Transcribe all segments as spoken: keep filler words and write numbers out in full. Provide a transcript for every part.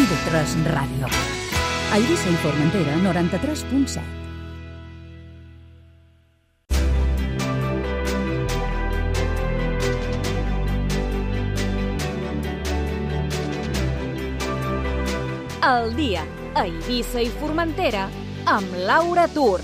I V tres Ràdio. A Eivissa i Formentera, noranta-tres punt set. El dia a Eivissa i Formentera amb Laura Tur.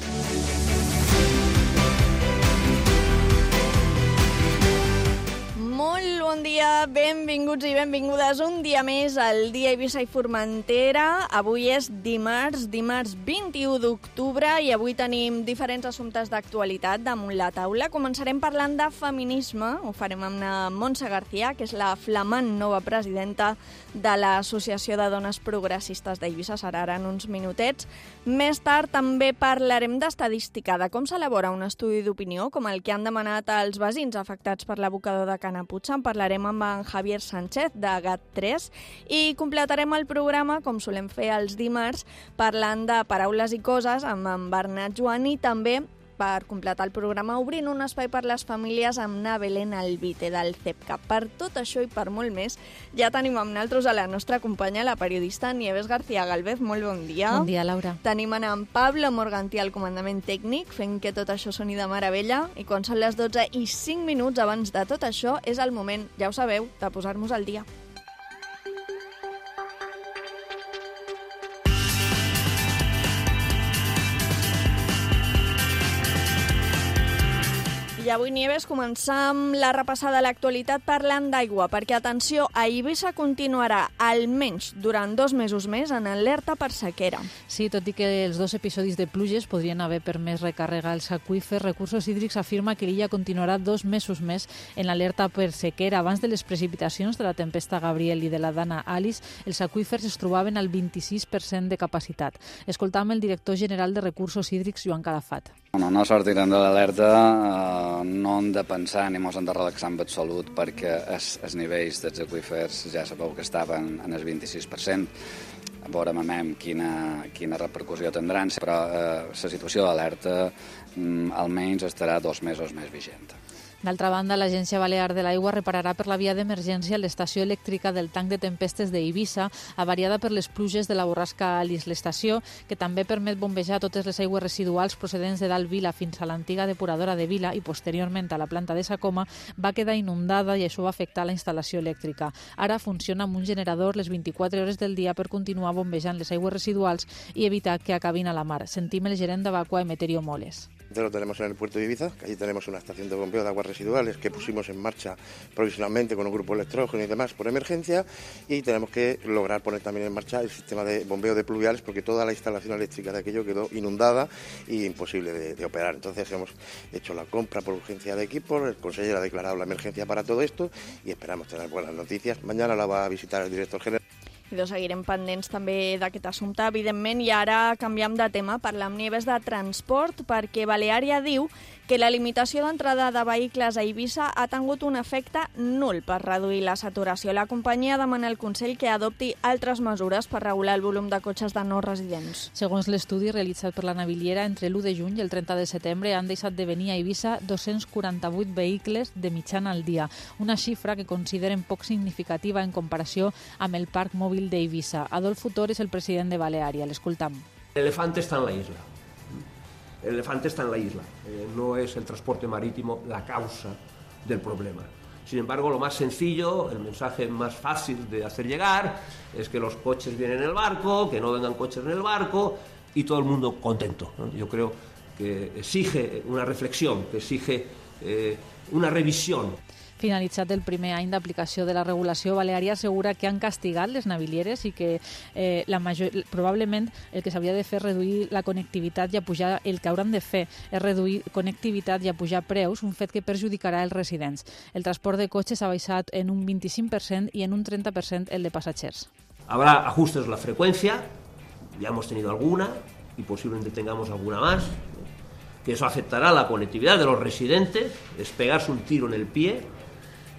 Molt bon dia, benvinguts i benvingudes un dia més al dia Eivissa i Formentera. Avui és dimarts, dimarts vint-i-u d'octubre i avui tenim diferents assumptes d'actualitat damunt la taula. Començarem parlant de feminisme, ho farem amb la Montse García, que és la flamant nova presidenta de l'Associació de Dones Progressistes d'Eivissa, serà ara en uns minutets. Més tard també parlarem d'estadística, de com s'elabora un estudi d'opinió, com el que han demanat els veïns afectats per l'abocador de Canaputxa. En parlarem amb en Javier Sánchez, de GAT tres, i completarem el programa, com solem fer els dimarts, parlant de paraules i coses amb en Bernat Joan i també, per completar el programa, obrint un espai per les famílies amb na Belén Albite del C E P C A. Per tot això i per molt més, ja tenim amb nosaltres a la nostra companya, la periodista Nieves García Galvez. Molt bon dia. Bon dia, Laura. Tenim en Pablo Morgantí al comandament tècnic, fent que tot això soni de meravella, i quan són les dotze i cinc minuts abans de tot això, és el moment, ja ho sabeu, de posar-nos al dia. I avui, Nieves, començam la repassada a l'actualitat parlant d'aigua, perquè, atenció, a Eivissa continuarà almenys durant dos mesos més en alerta per sequera. Sí, tot i que els dos episodis de pluges podrien haver permès recàrrega els aqüífers, Recursos Hídrics afirma que l'illa continuarà dos mesos més en alerta per sequera. Abans de les precipitacions de la tempesta Gabriel i de la Dana Alice, els aqüífers es trobaven al vint-i-sis per cent de capacitat. Escoltam el director general de Recursos Hídrics, Joan Calafat. No, no sortirem de l'alerta, eh, no hem de pensar ni ens hem de relaxar en absolut perquè els, els nivells dels aqüífers ja sabeu que estaven en el vint-i-sis per cent. Veurem quina, quina repercussió tindran, però eh, la situació d'alerta mm, almenys estarà dos mesos més vigent. D'altra banda, l'Agència Balear de l'Aigua repararà per la via d'emergència l'estació elèctrica del tanc de tempestes d'Eivissa, avariada per les pluges de la borrasca Alice. L'estació, que també permet bombejar totes les aigües residuals procedents de dalt Vila fins a l'antiga depuradora de Vila i posteriorment a la planta de Sacoma, va quedar inundada i això va afectar la instal·lació elèctrica. Ara funciona amb un generador les vint-i-quatre hores del dia per continuar bombejant les aigües residuals i evitar que acabin a la mar. Sentim el gerent de Vacua, Emeterio Moles. Lo tenemos en el puerto de Ibiza, que allí tenemos una estación de bombeo de aguas residuales que pusimos en marcha provisionalmente con un grupo electrógeno y demás por emergencia, y tenemos que lograr poner también en marcha el sistema de bombeo de pluviales porque toda la instalación eléctrica de aquello quedó inundada y imposible de, de operar. Entonces hemos hecho la compra por urgencia de equipos, el consejero ha declarado la emergencia para todo esto y esperamos tener buenas noticias. Mañana la va a visitar el director general. I doncs seguirem pendents també d'aquest assumpte, evidentment, i ara canviem de tema, parlem, Nieves, de transport, perquè Baleària diu que la limitació d'entrada de vehicles a Eivissa ha tingut un efecte nul per reduir la saturació. La companyia demana al Consell que adopti altres mesures per regular el volum de cotxes de no residents. Segons l'estudi realitzat per la Naviliera, entre l'u de juny i el trenta de setembre han deixat de venir a Eivissa dos-cents quaranta-vuit vehicles de mitjana al dia, una xifra que consideren poc significativa en comparació amb el parc mòbil d'Eivissa. Adolfo Tor és el president de Baleària. L'escoltam. El elefante está en la isla. El elefante está en la isla. Eh, no es el transporte marítimo la causa del problema. Sin embargo, lo más sencillo, el mensaje más fácil de hacer llegar, es que los coches vienen en el barco, que no vengan coches en el barco y todo el mundo contento, ¿no? Yo creo que exige una reflexión, que exige eh, una revisión. Finalitzat el primer any d'aplicació de la regulació, Baleària assegura que han castigat les navilieres i que eh, la major, probablement el que s'hauria de fer és reduir la connectivitat i apujar, el que hauran de fer és reduir connectivitat i apujar preus, un fet que perjudicarà els residents. El transport de cotxes ha baixat en un vint-i-cinc per cent i en un trenta per cent el de passatgers. Habrá ajustes en la frecuencia, ya hemos tenido alguna y posiblemente tengamos alguna más, que eso afectará la conectividad de los residentes, es pegarse un tiro en el pie.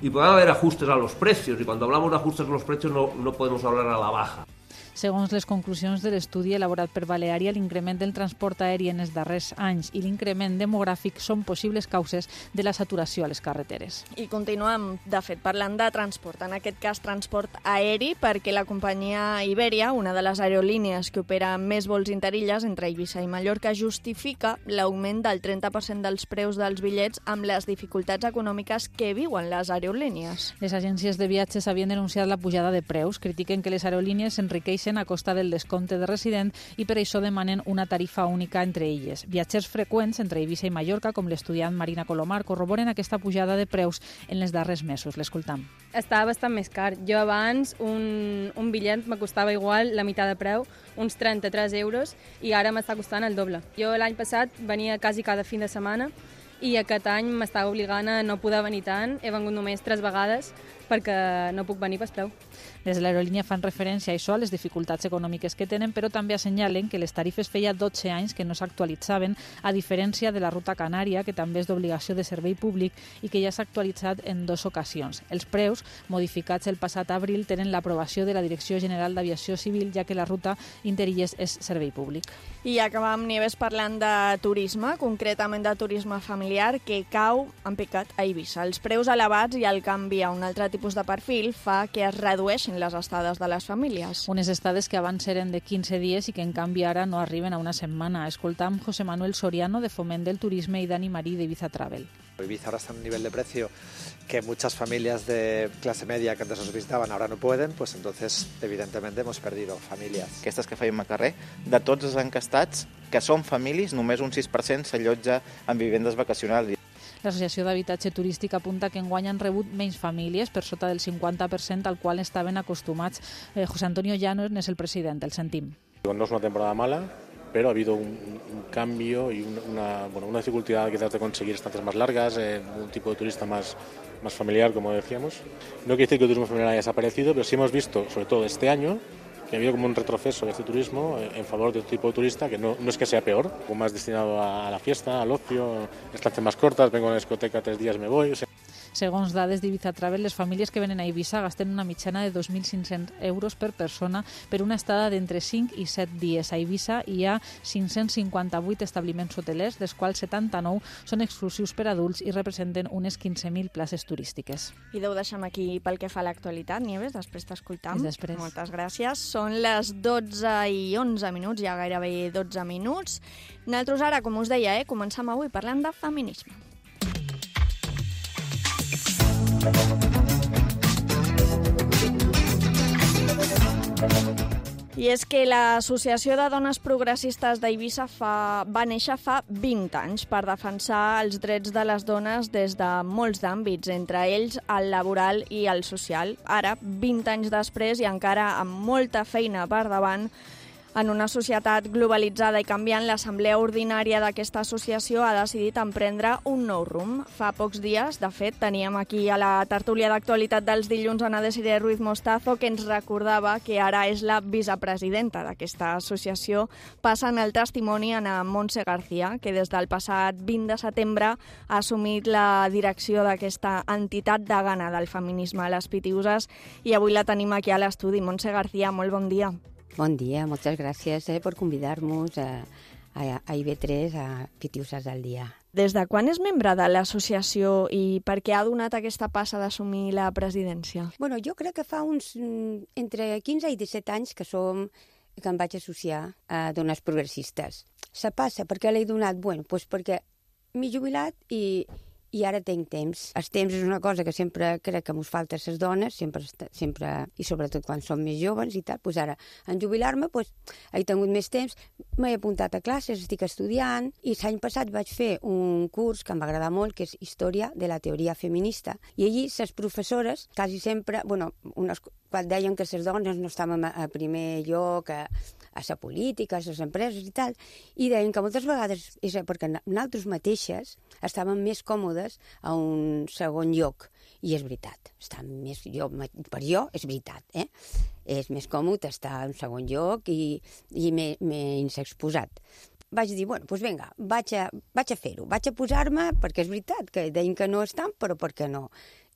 Y puede haber ajustes a los precios, y cuando hablamos de ajustes a los precios no, no podemos hablar a la baja. Segons les conclusions de l'estudi elaborat per Baleària, l'increment del transport aeri en els darrers anys i l'increment demogràfic són possibles causes de la saturació a les carreteres. I continuem, de fet, parlant de transport, en aquest cas transport aeri, perquè la companyia Iberia, una de les aerolínies que opera més vols interilles entre Eivissa i Mallorca, justifica l'augment del trenta per cent dels preus dels bitllets amb les dificultats econòmiques que viuen les aerolínies. Les agències de viatges havien denunciat la pujada de preus, critiquen que les aerolínies s'enriqueixen a costa del descompte de resident i per això demanen una tarifa única entre elles. Viatgers freqüents entre Eivissa i Mallorca, com l'estudiant Marina Colomar, corroboren aquesta pujada de preus en els darrers mesos. L'escoltam. Estava bastant més car. Jo abans un, un bitllet me costava igual la meitat de preu, uns trenta-tres euros, i ara m'està costant el doble. Jo l'any passat venia quasi cada fin de setmana i aquest any m'estava obligant a no poder venir tant. He vengut només tres vegades perquè no puc venir per preu. Des de l'aerolínia fan referència a això, a les dificultats econòmiques que tenen, però també assenyalen que les tarifes feia dotze anys que no s'actualitzaven, a diferència de la ruta canària, que també és d'obligació de servei públic i que ja s'ha actualitzat en dues ocasions. Els preus, modificats el passat abril, tenen l'aprovació de la Direcció General d'Aviació Civil, ja que la ruta Interilles és servei públic. I acabam, Nieves, parlant de turisme, concretament de turisme familiar, que cau en picat a Eivissa. Els preus elevats i el canvi a un altre tipus de perfil fa que es redueixin les estades de les famílies. Unes estades que abans eren de quinze dies i que en canvi ara no arriben a una setmana. Escoltam José Manuel Soriano, de Foment del Turisme, y Dani Marí, de Ibiza Travel. Ibiza ahora está en un nivel de precio que muchas familias de clase media que antes nos visitaban ahora no pueden, pues entonces evidentemente hemos perdido familias. Aquestes que feim a carrer, de tots els encastats que són famílies, només un sis per cent s'allotja en vivendes vacacionals. L'Associació d'Habitatge Turístic apunta que enguany han rebut menys famílies, per sota del cinquanta per cent al qual estaven acostumats. Eh, José Antonio Llanos és el president, el sentim. No es una temporada mala, pero ha habido un, un cambio y una, bueno, una dificultad quizás de conseguir estancias más largas, eh, un tipo de turista más, más familiar, como decíamos. No quiere decir que el turismo familiar haya desaparecido, pero sí hemos visto, sobre todo este año, que ha habido como un retroceso de este turismo en favor de otro tipo de turista, que no, no es que sea peor, o más destinado a la fiesta, al ocio, estancias más cortas, vengo a la discoteca tres días, me voy. O sea. Segons dades d'Ibiza Travel, les famílies que venen a Eivissa gasten una mitjana de dos mil cinc-cents euros per persona per una estada d'entre cinc i set dies. A Eivissa hi ha cinc-cents cinquanta-vuit establiments hotelers, dels quals setanta-nou són exclusius per adults i representen unes quinze mil places turístiques. I ho deixem aquí pel que fa a l'actualitat, Nieves, després t'escoltam. Després. Moltes gràcies. Són les dotze i onze minuts, ja gairebé dotze minuts. Nosaltres ara, com us deia, eh, començam avui parlant de feminisme. I és que l'Associació de Dones Progressistes d'Eivissa fa, va néixer fa vint anys per defensar els drets de les dones des de molts d'àmbits, entre ells el laboral i el social. Ara, vint anys després i encara amb molta feina per davant, en una societat globalitzada i canviant, l'Assemblea Ordinària d'aquesta associació ha decidit emprendre un nou rumb. Fa pocs dies, de fet, teníem aquí a la tertúlia d'actualitat dels dilluns Ana Desiree Ruiz Mostazo, que ens recordava que ara és la vicepresidenta d'aquesta associació, passant el testimoni a Montse García, que des del passat vint de setembre ha assumit la direcció d'aquesta entitat degana del feminisme a les Pitiuses, i avui la tenim aquí a l'estudi. Montse García, molt bon dia. Bon dia, moltes gràcies eh, per convidar-nos a, a, a I B tres, a Pitiuses al dia. Des de quan és membre de l'associació i per què ha donat aquesta passa d'assumir la presidència? Bueno, jo crec que fa uns entre quinze i disset anys que som que em vaig associar a Dones Progressistes. Se passa, per què l'he donat? Bueno, doncs perquè m'he jubilat i... i ara tinc temps. El temps és una cosa que sempre crec que ens falta a les dones, sempre, sempre, i sobretot quan som més joves i tal. Pues ara, en jubilar-me, pues, he tingut més temps, m'he apuntat a classes, estic estudiant, i l'any passat vaig fer un curs que em va agradar molt, que és Història de la Teoria Feminista. I allí les professores, quasi sempre, bueno, unes, quan deien que les dones no estàvem a primer lloc, a, a la política, a les empreses i tal, i deien que moltes vegades és perquè nosaltres mateixes estàvem més còmodes a un segon lloc. I és veritat. Està més, jo, per jo és veritat. Eh? És més còmode estar a un segon lloc i, i menys exposat. Vaig dir, bueno, doncs vinga, vaig a, vaig a fer-ho. Vaig a posar-me, perquè és veritat que deien que no estan, però per què no?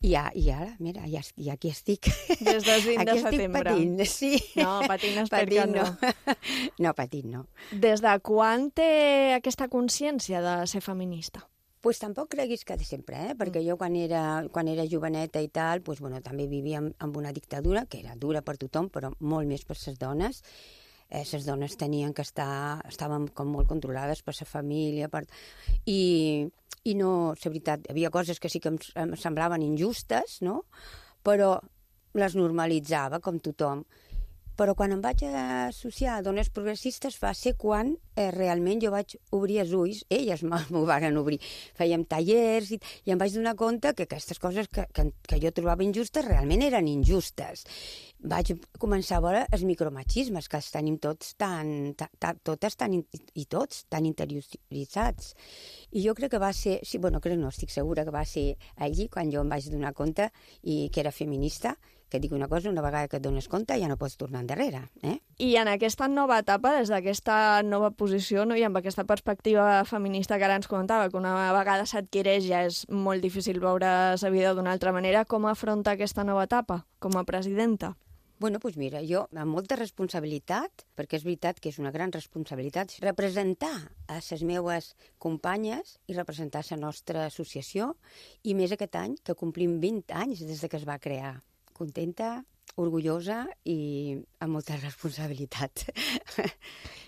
I, ja, i ara, mira, ja, ja aquí estic. Des del vint de aquí setembre. Estic patint, sí. No, patint espero que no. no. No, patint no. Des de quan té aquesta consciència de ser feminista? Pues tampoc creguis que de sempre, eh? Perquè jo quan era, quan era joveneta i tal, pues, bueno, també vivia amb, amb una dictadura, que era dura per tothom, però molt més per les dones. Eh, les dones tenien que estar, estaven com molt controlades per la família, per... I, i no, la veritat, hi havia coses que sí que em, em semblaven injustes, no? Però les normalitzava com tothom. Però quan em vaig associar a dones progressistes va ser quan eh, realment jo vaig obrir els ulls, elles m'ho van obrir. Fèiem tallers i, i em vaig donar compte que aquestes coses que, que, que jo trobava injustes realment eren injustes. Vaig començar a veure els micromachismes, que els tenim tots tan, ta, ta, totes tan, i tots tan interioritzats. I jo crec que va ser, sí, bueno, crec no, estic segura que va ser allí quan jo em vaig donar compte i que era feminista, que dic una cosa, una vegada que et dones compte ja no pots tornar endarrere. Eh? I en aquesta nova etapa, des d'aquesta nova posició, no? I amb aquesta perspectiva feminista que ara ens comentava, que una vegada s'adquireix ja és molt difícil veure la vida d'una altra manera, com afronta aquesta nova etapa com a presidenta? Bueno, doncs mira, jo amb molta responsabilitat, perquè és veritat que és una gran responsabilitat, representar a les meues companyes i representar la nostra associació, i més aquest any, que complim vint anys des de que es va crear. Contenta, orgullosa i amb molta responsabilitat.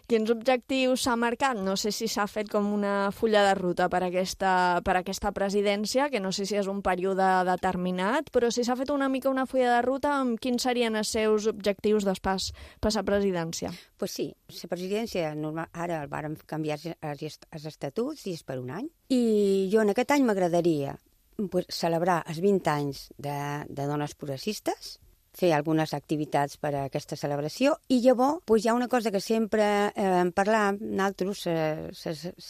Quins objectius s'ha marcat? No sé si s'ha fet com una fulla de ruta per aquesta, per aquesta presidència, que no sé si és un període determinat, però si s'ha fet una mica una fulla de ruta, amb quins serien els seus objectius després per la presidència? Pues sí, la presidència normal, ara el vàrem canviar els, els estatuts i és per un any. I jo en aquest any m'agradaria pues, celebrar els vint anys de, de dones progressistes, fer algunes activitats per a aquesta celebració, i llavors pues, hi ha una cosa que sempre eh, en parlam nosaltres,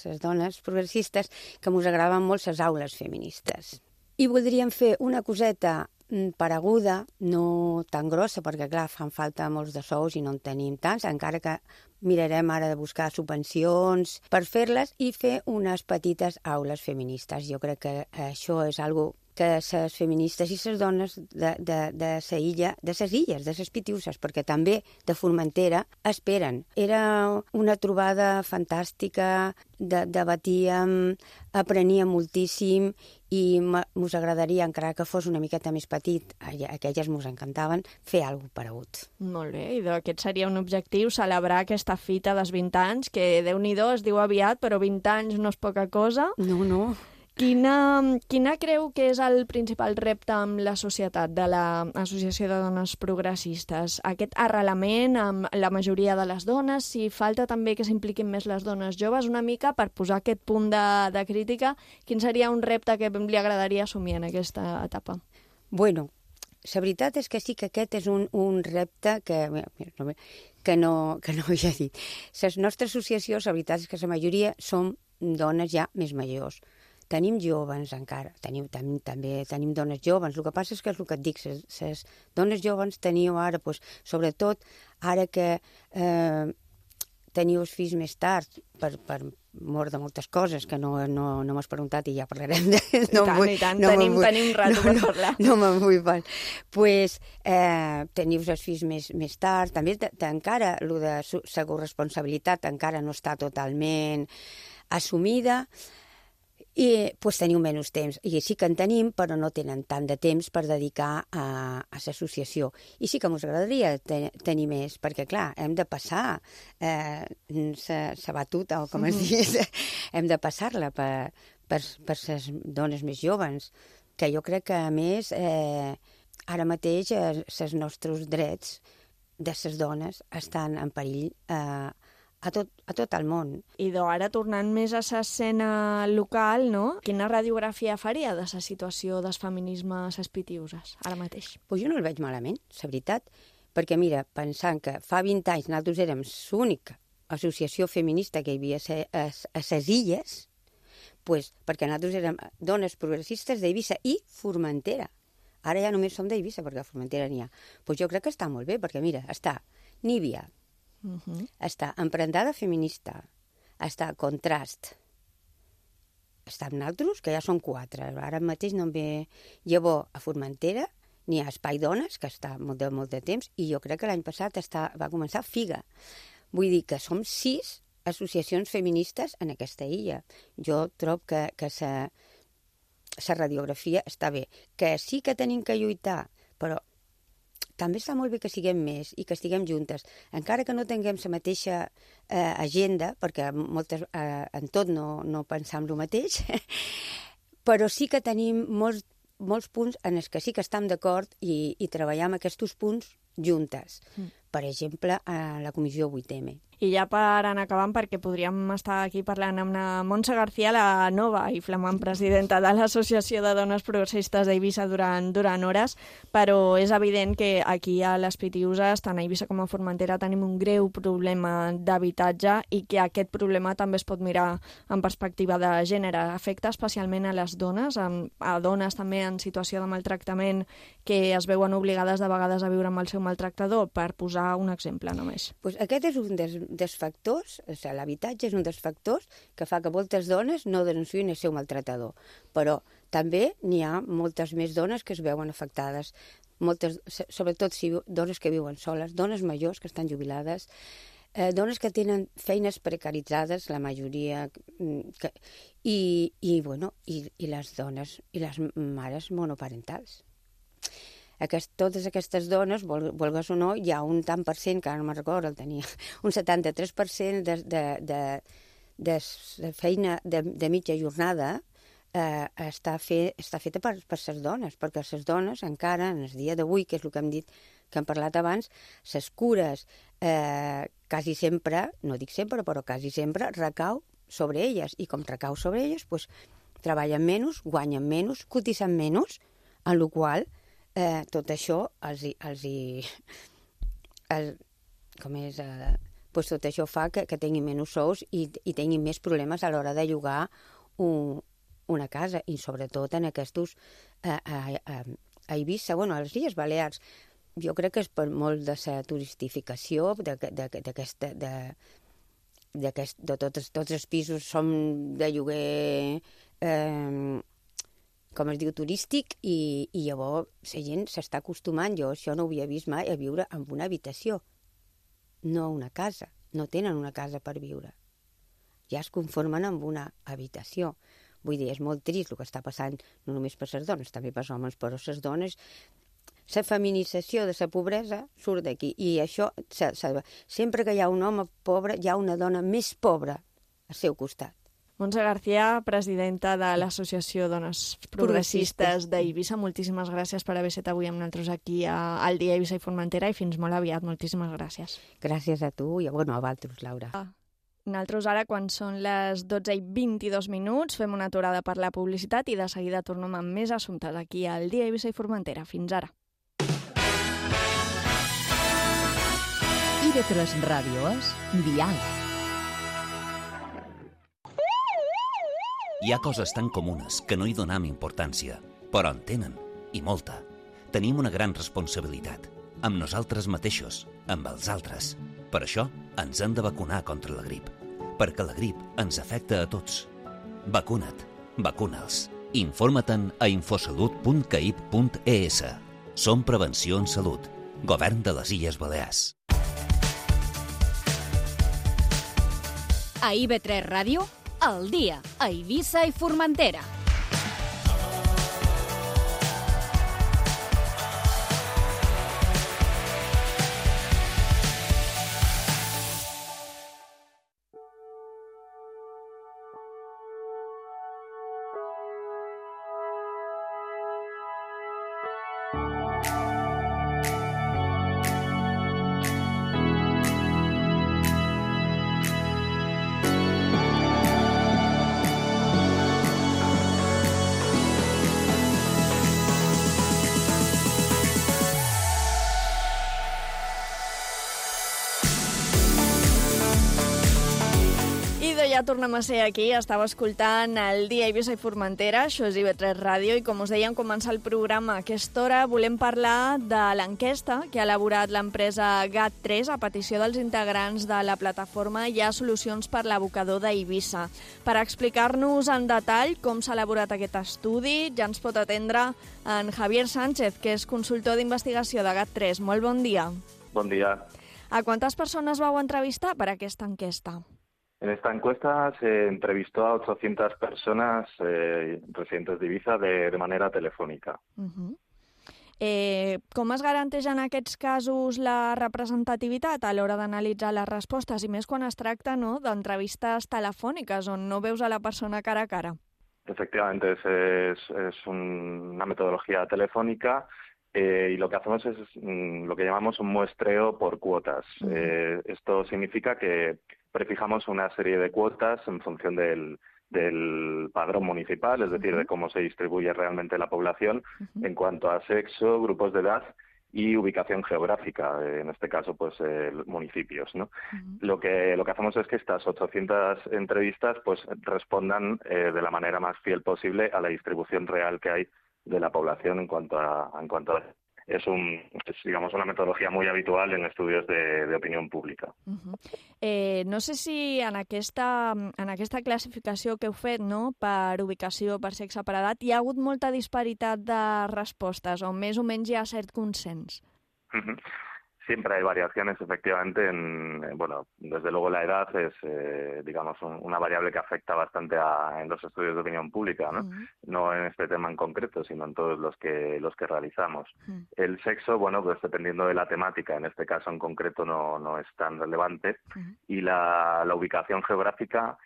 les dones progressistes, que ens agraden molt les aules feministes. I voldríem fer una coseta pareguda, no tan grossa, perquè clar, fan falta molts de sous i no en tenim tants, encara que mirarem ara de buscar subvencions per fer-les i fer unes petites aules feministes. Jo crec que això és algo que les feministes i les dones de, de, de sa illa, de ses illes, de ses Pitiuses, perquè també de Formentera esperen. Era una trobada fantàstica, de, debatíem, apreníem moltíssim i mos agradaria, encara que fos una miqueta més petit, aquelles mos encantaven, fer alguna cosa paregut. Molt bé, i aquest seria un objectiu, celebrar aquesta fita dels vint anys, que Déu-n'hi-do es diu aviat, però vint anys no és poca cosa. No, no. Quina, quina creu que és el principal repte amb la societat de l'Associació de Dones Progressistes? Aquest arrelament amb la majoria de les dones, si falta també que s'impliquin més les dones joves, una mica per posar aquest punt de, de crítica, quin seria un repte que li agradaria assumir en aquesta etapa? Bueno, la veritat és que sí que aquest és un, un repte que, que, no, que no havia dit. La nostra associació, la veritat és que la majoria som dones ja més majors. Tenim joves encara, tenim, tenim, també tenim dones joves. El que passa és que és el que et dic, les dones joves teniu ara, pues, sobretot ara que eh, teniu els fills més tard, per, per mort de moltes coses que no, no, no m'has preguntat i ja parlarem. De, no I tant, vull, i tant, no tenim, vull, tenim rato no, per parlar. No, no me'n vull parlar. Doncs pues, eh, teniu els fills més, més tard, també t- t- encara el de la corresponsabilitat encara no està totalment assumida, i pues, teniu menys temps. I sí que en tenim, però no tenen tant de temps per dedicar a, a l'associació. I sí que ens agradaria te, tenir més, perquè, clar, hem de passar eh, la batuta, o com es diu, hem de passar-la per, per, per les dones més joves, que jo crec que, a més, eh, ara mateix els nostres drets de les dones estan en perill eh, A tot, a tot el món. I ara, tornant més a l'escena local, no? Quina radiografia faria de la situació dels feminismes a les Pitiuses, ara mateix? Pues jo no el veig malament, la veritat, perquè mira, pensant que fa vint anys nosaltres érem l'única associació feminista que hi havia a les illes, pues, perquè nosaltres érem dones progressistes d'Eivissa i Formentera. Ara ja només som d'Eivissa, perquè a Formentera n'hi ha. Pues jo crec que està molt bé, perquè mira, està Níbia, Uh-huh. està Emprendada Feminista, està Contrast, està amb nosaltres, que ja són quatre. Ara mateix no en ve llavor a Formentera, n'hi ha Espai Dones, que està molt de, molt de temps, i jo crec que l'any passat està, va començar Figa. Vull dir que som sis associacions feministes en aquesta illa. Jo trobo que, que sa, sa radiografia està bé. Que sí que tenim que lluitar, però també està molt bé que siguem més i que estiguem juntes. Encara que no tinguem la mateixa eh, agenda, perquè moltes, eh, en tot no, no pensam el mateix, però sí que tenim molts, molts punts en els que sí que estem d'acord i, i treballam aquests punts juntes. Mm. Per exemple, a la comissió vuit eme. I ja per anar acabant, perquè podríem estar aquí parlant amb la Montse García, la nova i flamant presidenta de l'Associació de Dones Progressistes d'Eivissa durant, durant hores, però és evident que aquí a les Pitiüses, tant a Eivissa com a Formentera, tenim un greu problema d'habitatge i que aquest problema també es pot mirar en perspectiva de gènere. Afecta especialment a les dones, a dones també en situació de maltractament que es veuen obligades de vegades a viure amb el seu maltractador, per posar un exemple només. Pues aquest és un dels, dels factors, o sigui, l'habitatge és un dels factors que fa que moltes dones no denunciïn el seu maltratador. Però també n'hi ha moltes més dones que es veuen afectades, moltes, sobretot si dones que viuen soles, dones majors que estan jubilades, eh, dones que tenen feines precaritzades, la majoria, que, i, i, bueno, i, i les dones i les mares monoparentals. Aquest, totes aquestes dones, vol, volgues o no, hi ha un tant per cent, que ara no me'n recordo, el tenia, un setanta-tres per cent de, de, de, de, de feina de, de mitja jornada eh, està, fe, està feta per, per les dones, perquè les dones encara, en el dia d'avui, que és el que hem dit, que hem parlat abans, les cures eh, quasi sempre, no dic sempre, però quasi sempre, recau sobre elles, i com recau sobre elles, pues, treballen menys, guanyen menys, cotitzen menys, en la qual Eh, tot això els, els, el, com és, eh, pues tot això fa que, que tinguin menys sous i, i tinguin més problemes a l'hora de llogar un, una casa, i sobretot en aquests eh, a, a, a Eivissa, bueno, a les Illes Balears. Jo crec que és per molt de la turistificació d'aquesta, de, de, de tots, tots els pisos són de lloguer eh, com es diu, turístic, i, i llavors la gent s'està acostumant, jo això no ho havia vist mai, a viure en una habitació, no una casa, no tenen una casa per viure, ja es conformen amb una habitació. Vull dir, és molt trist el que està passant, no només per les dones, també per els homes, però les dones, la feminització de la pobresa surt d'aquí, i això, se, se, sempre que hi ha un home pobre, hi ha una dona més pobra al seu costat. Montse García, presidenta de l'Associació Dones Progressistes d'Eivissa, moltíssimes gràcies per haver estat avui amb nosaltres aquí a, al Dia Eivissa i Formentera, i fins molt aviat. Moltíssimes gràcies. Gràcies a tu i bueno, a vosaltres, Laura. Nosaltres ara, quan són les dotze i vint-i-dos minuts, fem una aturada per la publicitat i de seguida tornem amb més assumptes aquí al Dia Eivissa i Formentera. Fins ara. I ve tres Ràdio és Diàleg. Hi ha coses tan comunes que no hi donam importància, però en tenen, i molta. Tenim una gran responsabilitat, amb nosaltres mateixos, amb els altres. Per això ens hem de vacunar contra la grip, perquè la grip ens afecta a tots. Vacuna't, vacuna'ls. Informa-te'n a infosalut punt caip punt es. Som Prevenció en Salut, Govern de les Illes Balears. A I V tres Ràdio, al dia, a Eivissa i Formentera. ja tornem a ser aquí. Estava escoltant el Dia Eivissa i Formentera, això és I V tres Ràdio, i com us dèiem, començar el programa a aquesta hora volem parlar de l'enquesta que ha elaborat l'empresa G A T tres a petició dels integrants de la plataforma Hi ha solucions per l'abocador d'Eivissa. Per explicar-nos en detall com s'ha elaborat aquest estudi, ja ens pot atendre en Javier Sánchez, que és consultor d'investigació de G A T tres. Molt bon dia. Bon dia. ¿A cuántas personas vau entrevistar para esta encuesta? En esta encuesta se entrevistó a ochocientas personas eh, residentes de Ibiza de, de manera telefònica. Uh-huh. eh, com es garanteix en aquests casos la representativitat a l'hora d'analitzar les respostes, i més quan es tracta, no, d'entrevistes telefòniques on no veus a la persona cara a cara? Efectivamente, es, es, es un, una metodología telefónica. Eh, y lo que hacemos es mm, lo que llamamos un muestreo por cuotas. Uh-huh. Eh, esto significa que prefijamos una serie de cuotas en función del, del padrón municipal, es decir, uh-huh. de cómo se distribuye realmente la población uh-huh. en cuanto a sexo, grupos de edad y ubicación geográfica, eh, en este caso, pues eh, municipios, ¿no? Uh-huh. Lo que lo que hacemos es que estas ochocientas entrevistas, pues respondan eh, de la manera más fiel posible a la distribución real que hay de la población en cuanto a en cuanto a es un es, digamos una metodología muy habitual en estudios de, de opinión pública. Uh-huh. eh, no sé si en aquesta en aquesta classificació que heu fet, no, per ubicació, per sexe, per edat, hi ha hagut molta disparitat de respostes o més o menys hi ha cert consens? Uh-huh. Siempre hay variaciones, efectivamente. En, bueno, desde luego la edad es, eh, digamos, un, una variable que afecta bastante a, en los estudios de opinión pública, ¿no? Uh-huh. No en este tema en concreto, sino en todos los que los que realizamos. Uh-huh. El sexo, bueno, pues dependiendo de la temática, en este caso en concreto no, no es tan relevante. Uh-huh. Y la, la ubicación geográfica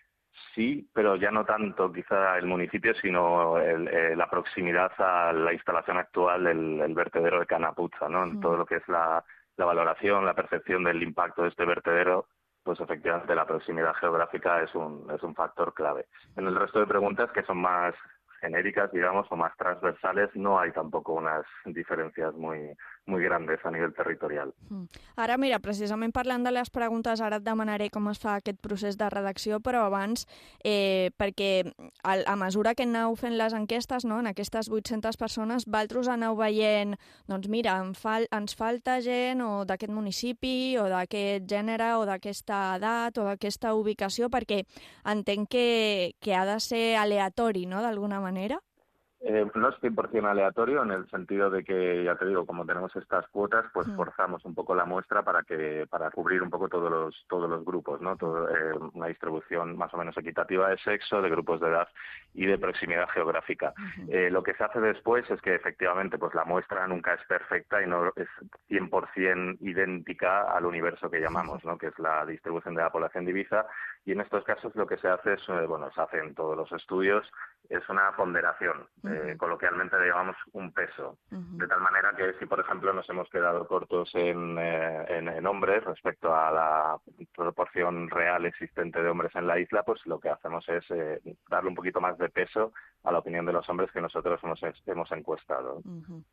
sí, pero ya no tanto quizá el municipio, sino el, eh, la proximidad a la instalación actual del el vertedero de Canapuzza, ¿no? Uh-huh. Todo lo que es la la valoración, la percepción del impacto de este vertedero, pues efectivamente la proximidad geográfica es un, es un factor clave. En el resto de preguntas, que son más genéricas, digamos, o más transversales, no hay tampoco unas diferencias muy, muy grandes a nivell territorial. Mm. Ara, mira, precisament parlant de les preguntes, ara et demanaré com es fa aquest procés de redacció, però abans, eh, perquè a, a mesura que aneu fent les enquestes, no, en aquestes vuit-centes persones, vosaltres aneu veient, doncs mira, en fal, ens falta gent o d'aquest municipi, o d'aquest gènere, o d'aquesta edat, o d'aquesta ubicació, perquè entenc que, que ha de ser aleatori, no?, d'alguna manera. Eh, no es cien por ciento aleatorio en el sentido de que, ya te digo, como tenemos estas cuotas, pues mm. forzamos un poco la muestra para que para cubrir un poco todos los todos los grupos, ¿no? Todo, eh, una distribución más o menos equitativa de sexo, de grupos de edad y de proximidad geográfica. Uh-huh. Eh, lo que se hace después es que efectivamente pues la muestra nunca es perfecta y no es cien por ciento idéntica al universo que llamamos, ¿no? Que es la distribución de la población de Ibiza. Y en estos casos lo que se hace es, eh, bueno, se hace en todos los estudios, es una ponderación. Uh-huh. Eh, coloquialmente le llamamos un peso. Uh-huh. De tal manera que si, por ejemplo, nos hemos quedado cortos en, eh, en, en hombres respecto a la proporción real existente de hombres en la isla, pues lo que hacemos es eh, darle un poquito más de peso a la opinión de los hombres que nosotros hemos, hemos encuestado. Uh-huh.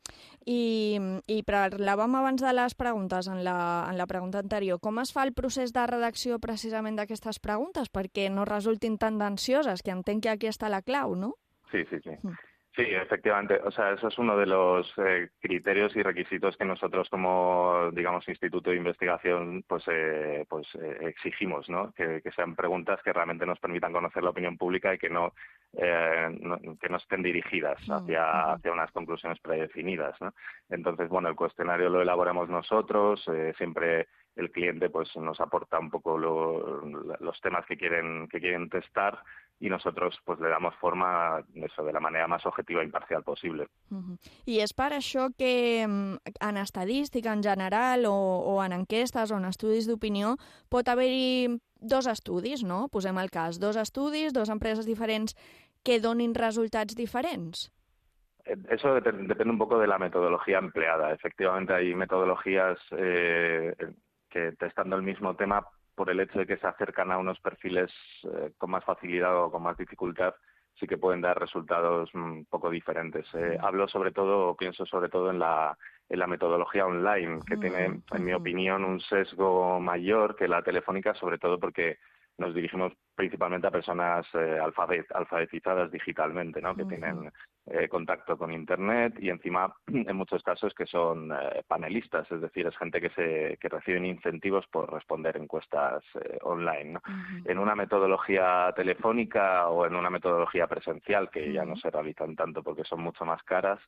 I, i parlàvem abans de les preguntes en la, en la pregunta anterior. Com es fa el procés de redacció precisament d'aquestes preguntes perquè no resultin tendencioses, que entenc que aquí està la clau, no? Sí, sí, sí. Uh-huh. Sí, efectivamente. O sea, eso es uno de los eh, criterios y requisitos que nosotros como, digamos, Instituto de Investigación, pues, eh, pues eh, exigimos, ¿no? Que, que sean preguntas que realmente nos permitan conocer la opinión pública y que no, eh, no que no estén dirigidas hacia, hacia unas conclusiones predefinidas, ¿no? Entonces, bueno, el cuestionario lo elaboramos nosotros, eh, siempre el cliente pues nos aporta un poco lo, los temas que quieren que quieren testar y nosotros pues le damos forma eso de la manera más objetiva e imparcial possible. Uh-huh. I és per això que en estadística en general o, o en enquestes o en estudis d'opinió pot haver-hi dos estudis, no? Posem el cas, dos estudis, dos empreses diferents que donin resultats diferents. Eso depende un poco de la metodología empleada. Efectivamente hay metodologías eh, que testando el mismo tema, por el hecho de que se acercan a unos perfiles eh, con más facilidad o con más dificultad, sí que pueden dar resultados un poco diferentes. Eh, hablo sobre todo, pienso sobre todo en la, en la metodología online, que tiene, en mi opinión, un sesgo mayor que la telefónica, sobre todo porque nos dirigimos principalmente a personas eh, alfabet, alfabetizadas digitalmente, ¿no? Que uh-huh. tienen eh, contacto con Internet y encima, en muchos casos, que son eh, panelistas, es decir, es gente que se que reciben incentivos por responder encuestas eh, online, ¿no? Uh-huh. En una metodología telefónica o en una metodología presencial, que uh-huh. ya no se realizan tanto porque son mucho más caras,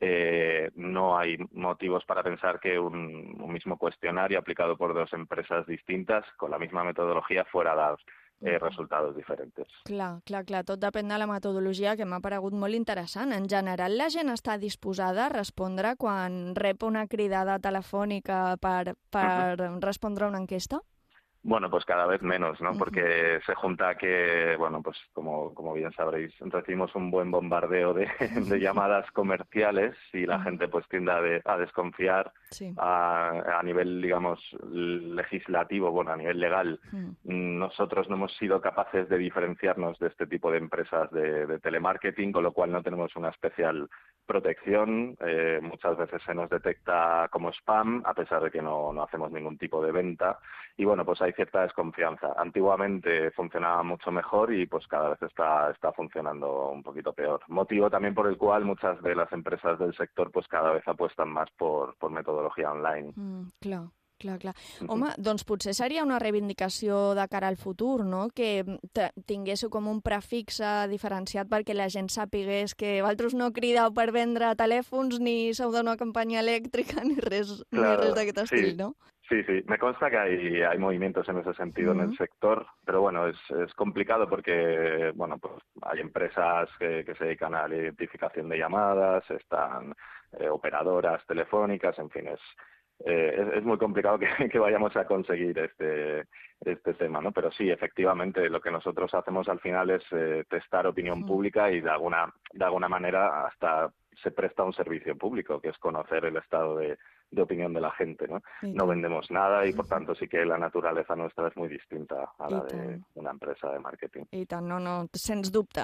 Eh, no hay motivos para pensar que un, un mismo cuestionario aplicado por dos empresas distintas con la misma metodologia fuera a dar eh, resultados diferents. Clar, clar, clar, tot depèn de la metodologia, que m'ha paregut molt interessant. En general, la gent està disposada a respondre quan rep una cridada telefònica per, per uh-huh. respondre a una enquesta? Bueno, pues cada vez menos, ¿no? Porque se junta que, bueno, pues como, como bien sabréis, recibimos un buen bombardeo de, de llamadas comerciales y la gente pues tiende a, de, a desconfiar sí. a, a nivel, digamos, legislativo, bueno, a nivel legal. Mm. Nosotros no hemos sido capaces de diferenciarnos de este tipo de empresas de, de telemarketing, con lo cual no tenemos una especial protección. Eh, muchas veces se nos detecta como spam, a pesar de que no, no hacemos ningún tipo de venta. Y bueno, pues hay cierta desconfianza. Antiguamente funcionaba mucho mejor y pues cada vez está, está funcionando un poquito peor. Motivo también por el cual muchas de las empresas del sector pues cada vez apuestan más por, por metodologia online. Mm, clar. Clar, clar. Home, doncs potser seria una reivindicació de cara al futur, no? Que tinguéssiu com un prefix diferenciat perquè la gent sapigués que vosaltres no crideu per vendre telèfons ni sou d'una campanya elèctrica ni res, claro, ni res d'aquest estil, sí. ¿no? Sí, sí, me consta que hay, hay movimientos en ese sentido uh-huh. en el sector, pero bueno, es, es complicado porque, bueno, pues hay empresas que, que se dedican a la identificación de llamadas, están eh, operadoras telefónicas, en fin, es... Eh, es, es muy complicado que, que vayamos a conseguir este, este tema, ¿no? Pero sí, efectivamente, lo que nosotros hacemos al final es eh, testar opinión mm. pública y de alguna, de alguna manera hasta se presta un servicio público, que es conocer el estado de, de opinión de la gente, ¿no? No vendemos nada y, por tanto, sí que la naturaleza nuestra es muy distinta a la de una empresa de marketing. I tant, no, no, sens dubte.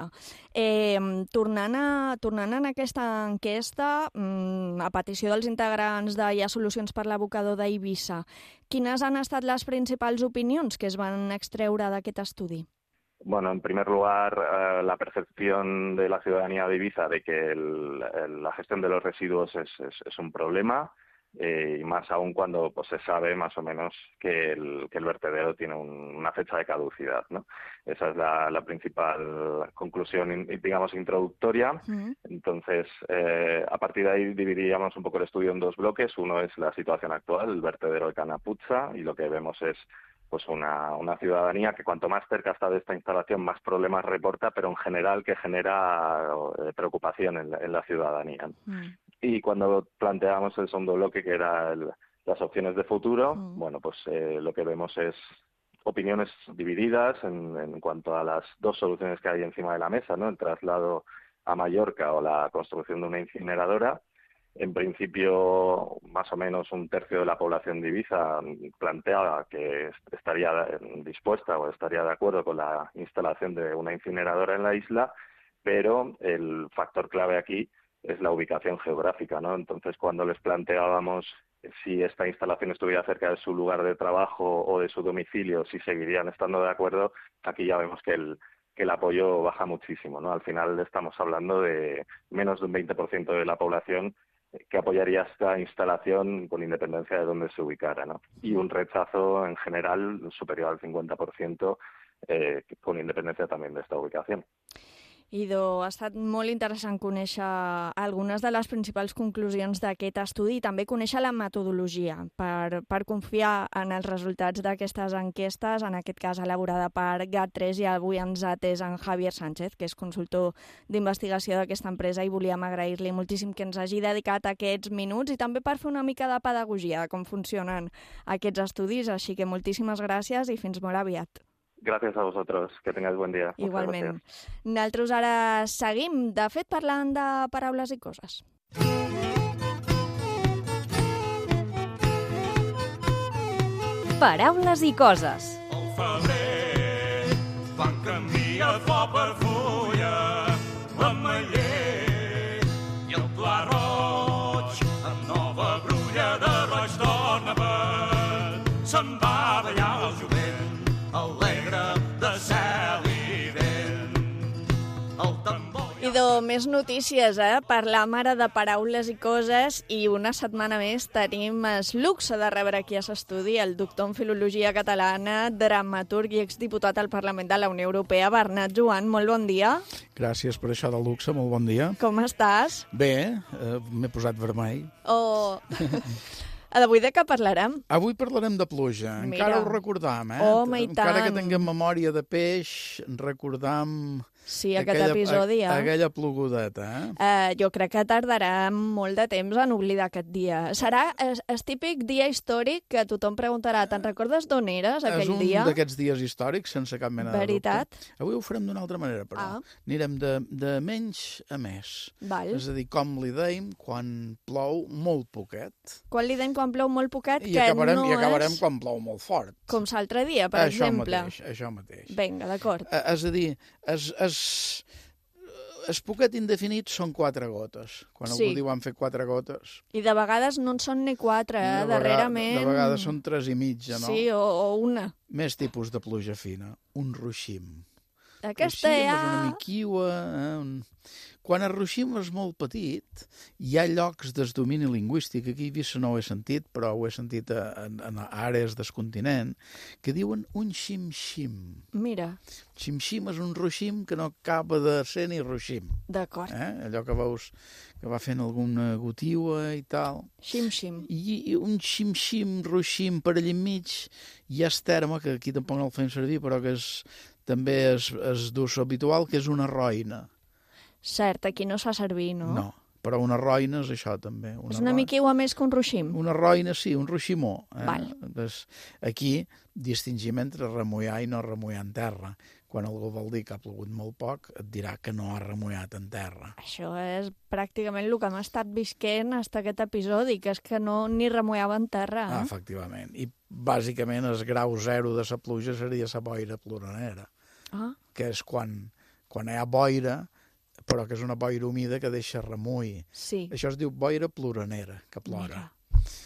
Eh, tornant, a, tornant a aquesta enquesta, a petició dels integrants de Hi ha Solucions per l'Abocador d'Eivissa, quines han estat les principals opinions que es van extreure d'aquest estudi? Bueno, en primer lugar, eh, la percepción de la ciudadanía de Ibiza de que el, el, la gestión de los residuos es, es, es un problema, eh, y más aún cuando pues, se sabe más o menos que el, que el vertedero tiene un, una fecha de caducidad, ¿no? Esa es la, la principal conclusión, digamos, introductoria. Uh-huh. Entonces, eh, a partir de ahí dividiríamos un poco el estudio en dos bloques. Uno es la situación actual, el vertedero de Canapuzza, y lo que vemos es pues una, una ciudadanía que cuanto más cerca está de esta instalación, más problemas reporta, pero en general que genera eh, preocupación en la, en la ciudadanía. Mm. Y cuando planteamos el segundo bloque, que era el, las opciones de futuro, mm. bueno, pues eh, lo que vemos es opiniones divididas en, en cuanto a las dos soluciones que hay encima de la mesa, ¿no? El traslado a Mallorca o la construcción de una incineradora. En principio, más o menos un tercio de la población de Ibiza planteaba que estaría dispuesta o estaría de acuerdo con la instalación de una incineradora en la isla, pero el factor clave aquí es la ubicación geográfica, ¿no? Entonces, cuando les planteábamos si esta instalación estuviera cerca de su lugar de trabajo o de su domicilio, si seguirían estando de acuerdo, aquí ya vemos que el que el apoyo baja muchísimo, ¿no? Al final estamos hablando de menos de un veinte por ciento de la población que apoyaría esta instalación con independencia de dónde se ubicara, ¿no? Y un rechazo en general superior al cincuenta por ciento eh, con independencia también de esta ubicación. Idò, ha estat molt interessant conèixer algunes de les principals conclusions d'aquest estudi i també conèixer la metodologia per, per confiar en els resultats d'aquestes enquestes, en aquest cas elaborada per GAT tres, i avui ens ha atès en Javier Sánchez, que és consultor d'investigació d'aquesta empresa, i volíem agrair-li moltíssim que ens hagi dedicat aquests minuts i també per fer una mica de pedagogia de com funcionen aquests estudis, així que moltíssimes gràcies i fins molt aviat. Gràcies a vosaltres, que tingueu bon dia. Igualment. Nosaltres ara seguim, de fet, parlant de paraules i coses. Paraules i coses. Al febrer van canviar flor per fulla, l'ametller i el pla roig, amb nova brulla de roig torna per se'n va ballar el jovent alegre Déu-n'hi-do, més notícies, eh? Parlam ara de paraules i coses i una setmana més tenim el luxe de rebre aquí a l'estudi el doctor en Filologia Catalana, dramaturg i exdiputat al Parlament de la Unió Europea, Bernat Joan. Molt bon dia. Gràcies per això del luxe, molt bon dia. Com estàs? Bé, eh, m'he posat vermell. Oh... D'avui de què parlarem? Avui parlarem de pluja. Mira. Encara ho recordam, eh? Home, i Encara tant. que tinguem memòria de peix, recordam... Sí, aquest episodi, eh? Aquella plogudeta, eh? Uh, jo crec que tardarà molt de temps en oblidar aquest dia. Serà el, el típic dia històric que tothom preguntarà, te'n recordes d'on eres aquell dia? És un d'aquests dies històrics, sense cap mena Veritat? de dubte. Avui ho farem d'una altra manera, però. Ah. Anirem de, de menys a més. Val. És a dir, com li deim quan plou molt poquet. Quan li deim quan plou molt poquet, I que acabarem, no i acabarem és quan plou molt fort. com l'altre dia, per això exemple. Mateix, això mateix. Vinga, d'acord. Eh, És a dir, es, es, es poquet indefinit són quatre gotes. Quan Sí. algú diu han fet quatre gotes... I de vegades no en són ni quatre, eh? de vegades, Darrerament... de vegades són tres i mitja, no? Sí, o, o una. Més tipus de pluja fina. Un ruixim. Aquesta Ruixim ja... és una miquiua... Eh? Un... Quan el ruixim és molt petit, hi ha llocs de domini lingüístic, aquí a Eivissa no ho he sentit, però ho he sentit a, en, en àrees del continent, que diuen un xim-xim. Mira. Xim-xim és un ruixim que no acaba de ser ni ruixim. D'acord. Eh? Allò que veus que va fent alguna gotiua i tal. Xim-xim. I, i un xim-xim, ruixim per allà enmig, hi ha el terme, que aquí tampoc no el fem servir, però que és, també és, és d'ús habitual, que és una roina. Cert, aquí no es fa servir, no? No, però una roina és això també. Una És una roina. miquiua més que un ruixim. Una roina, sí, un ruiximó. Eh? Val. Pues aquí distingim entre remullar i no remullar en terra. Quan algú vol dir que ha plogut molt poc, et dirà que no ha remullat en terra. Això és pràcticament el que hem estat visquent fins aquest episodi, que és que no ni remullava en terra. Ah, Eh? efectivament. I bàsicament el grau zero de la pluja seria la boira ploranera, Ah. que és quan, quan hi ha boira, però que és una boira humida que deixa remull. Sí. Això es diu boira ploranera, que plora. Mira.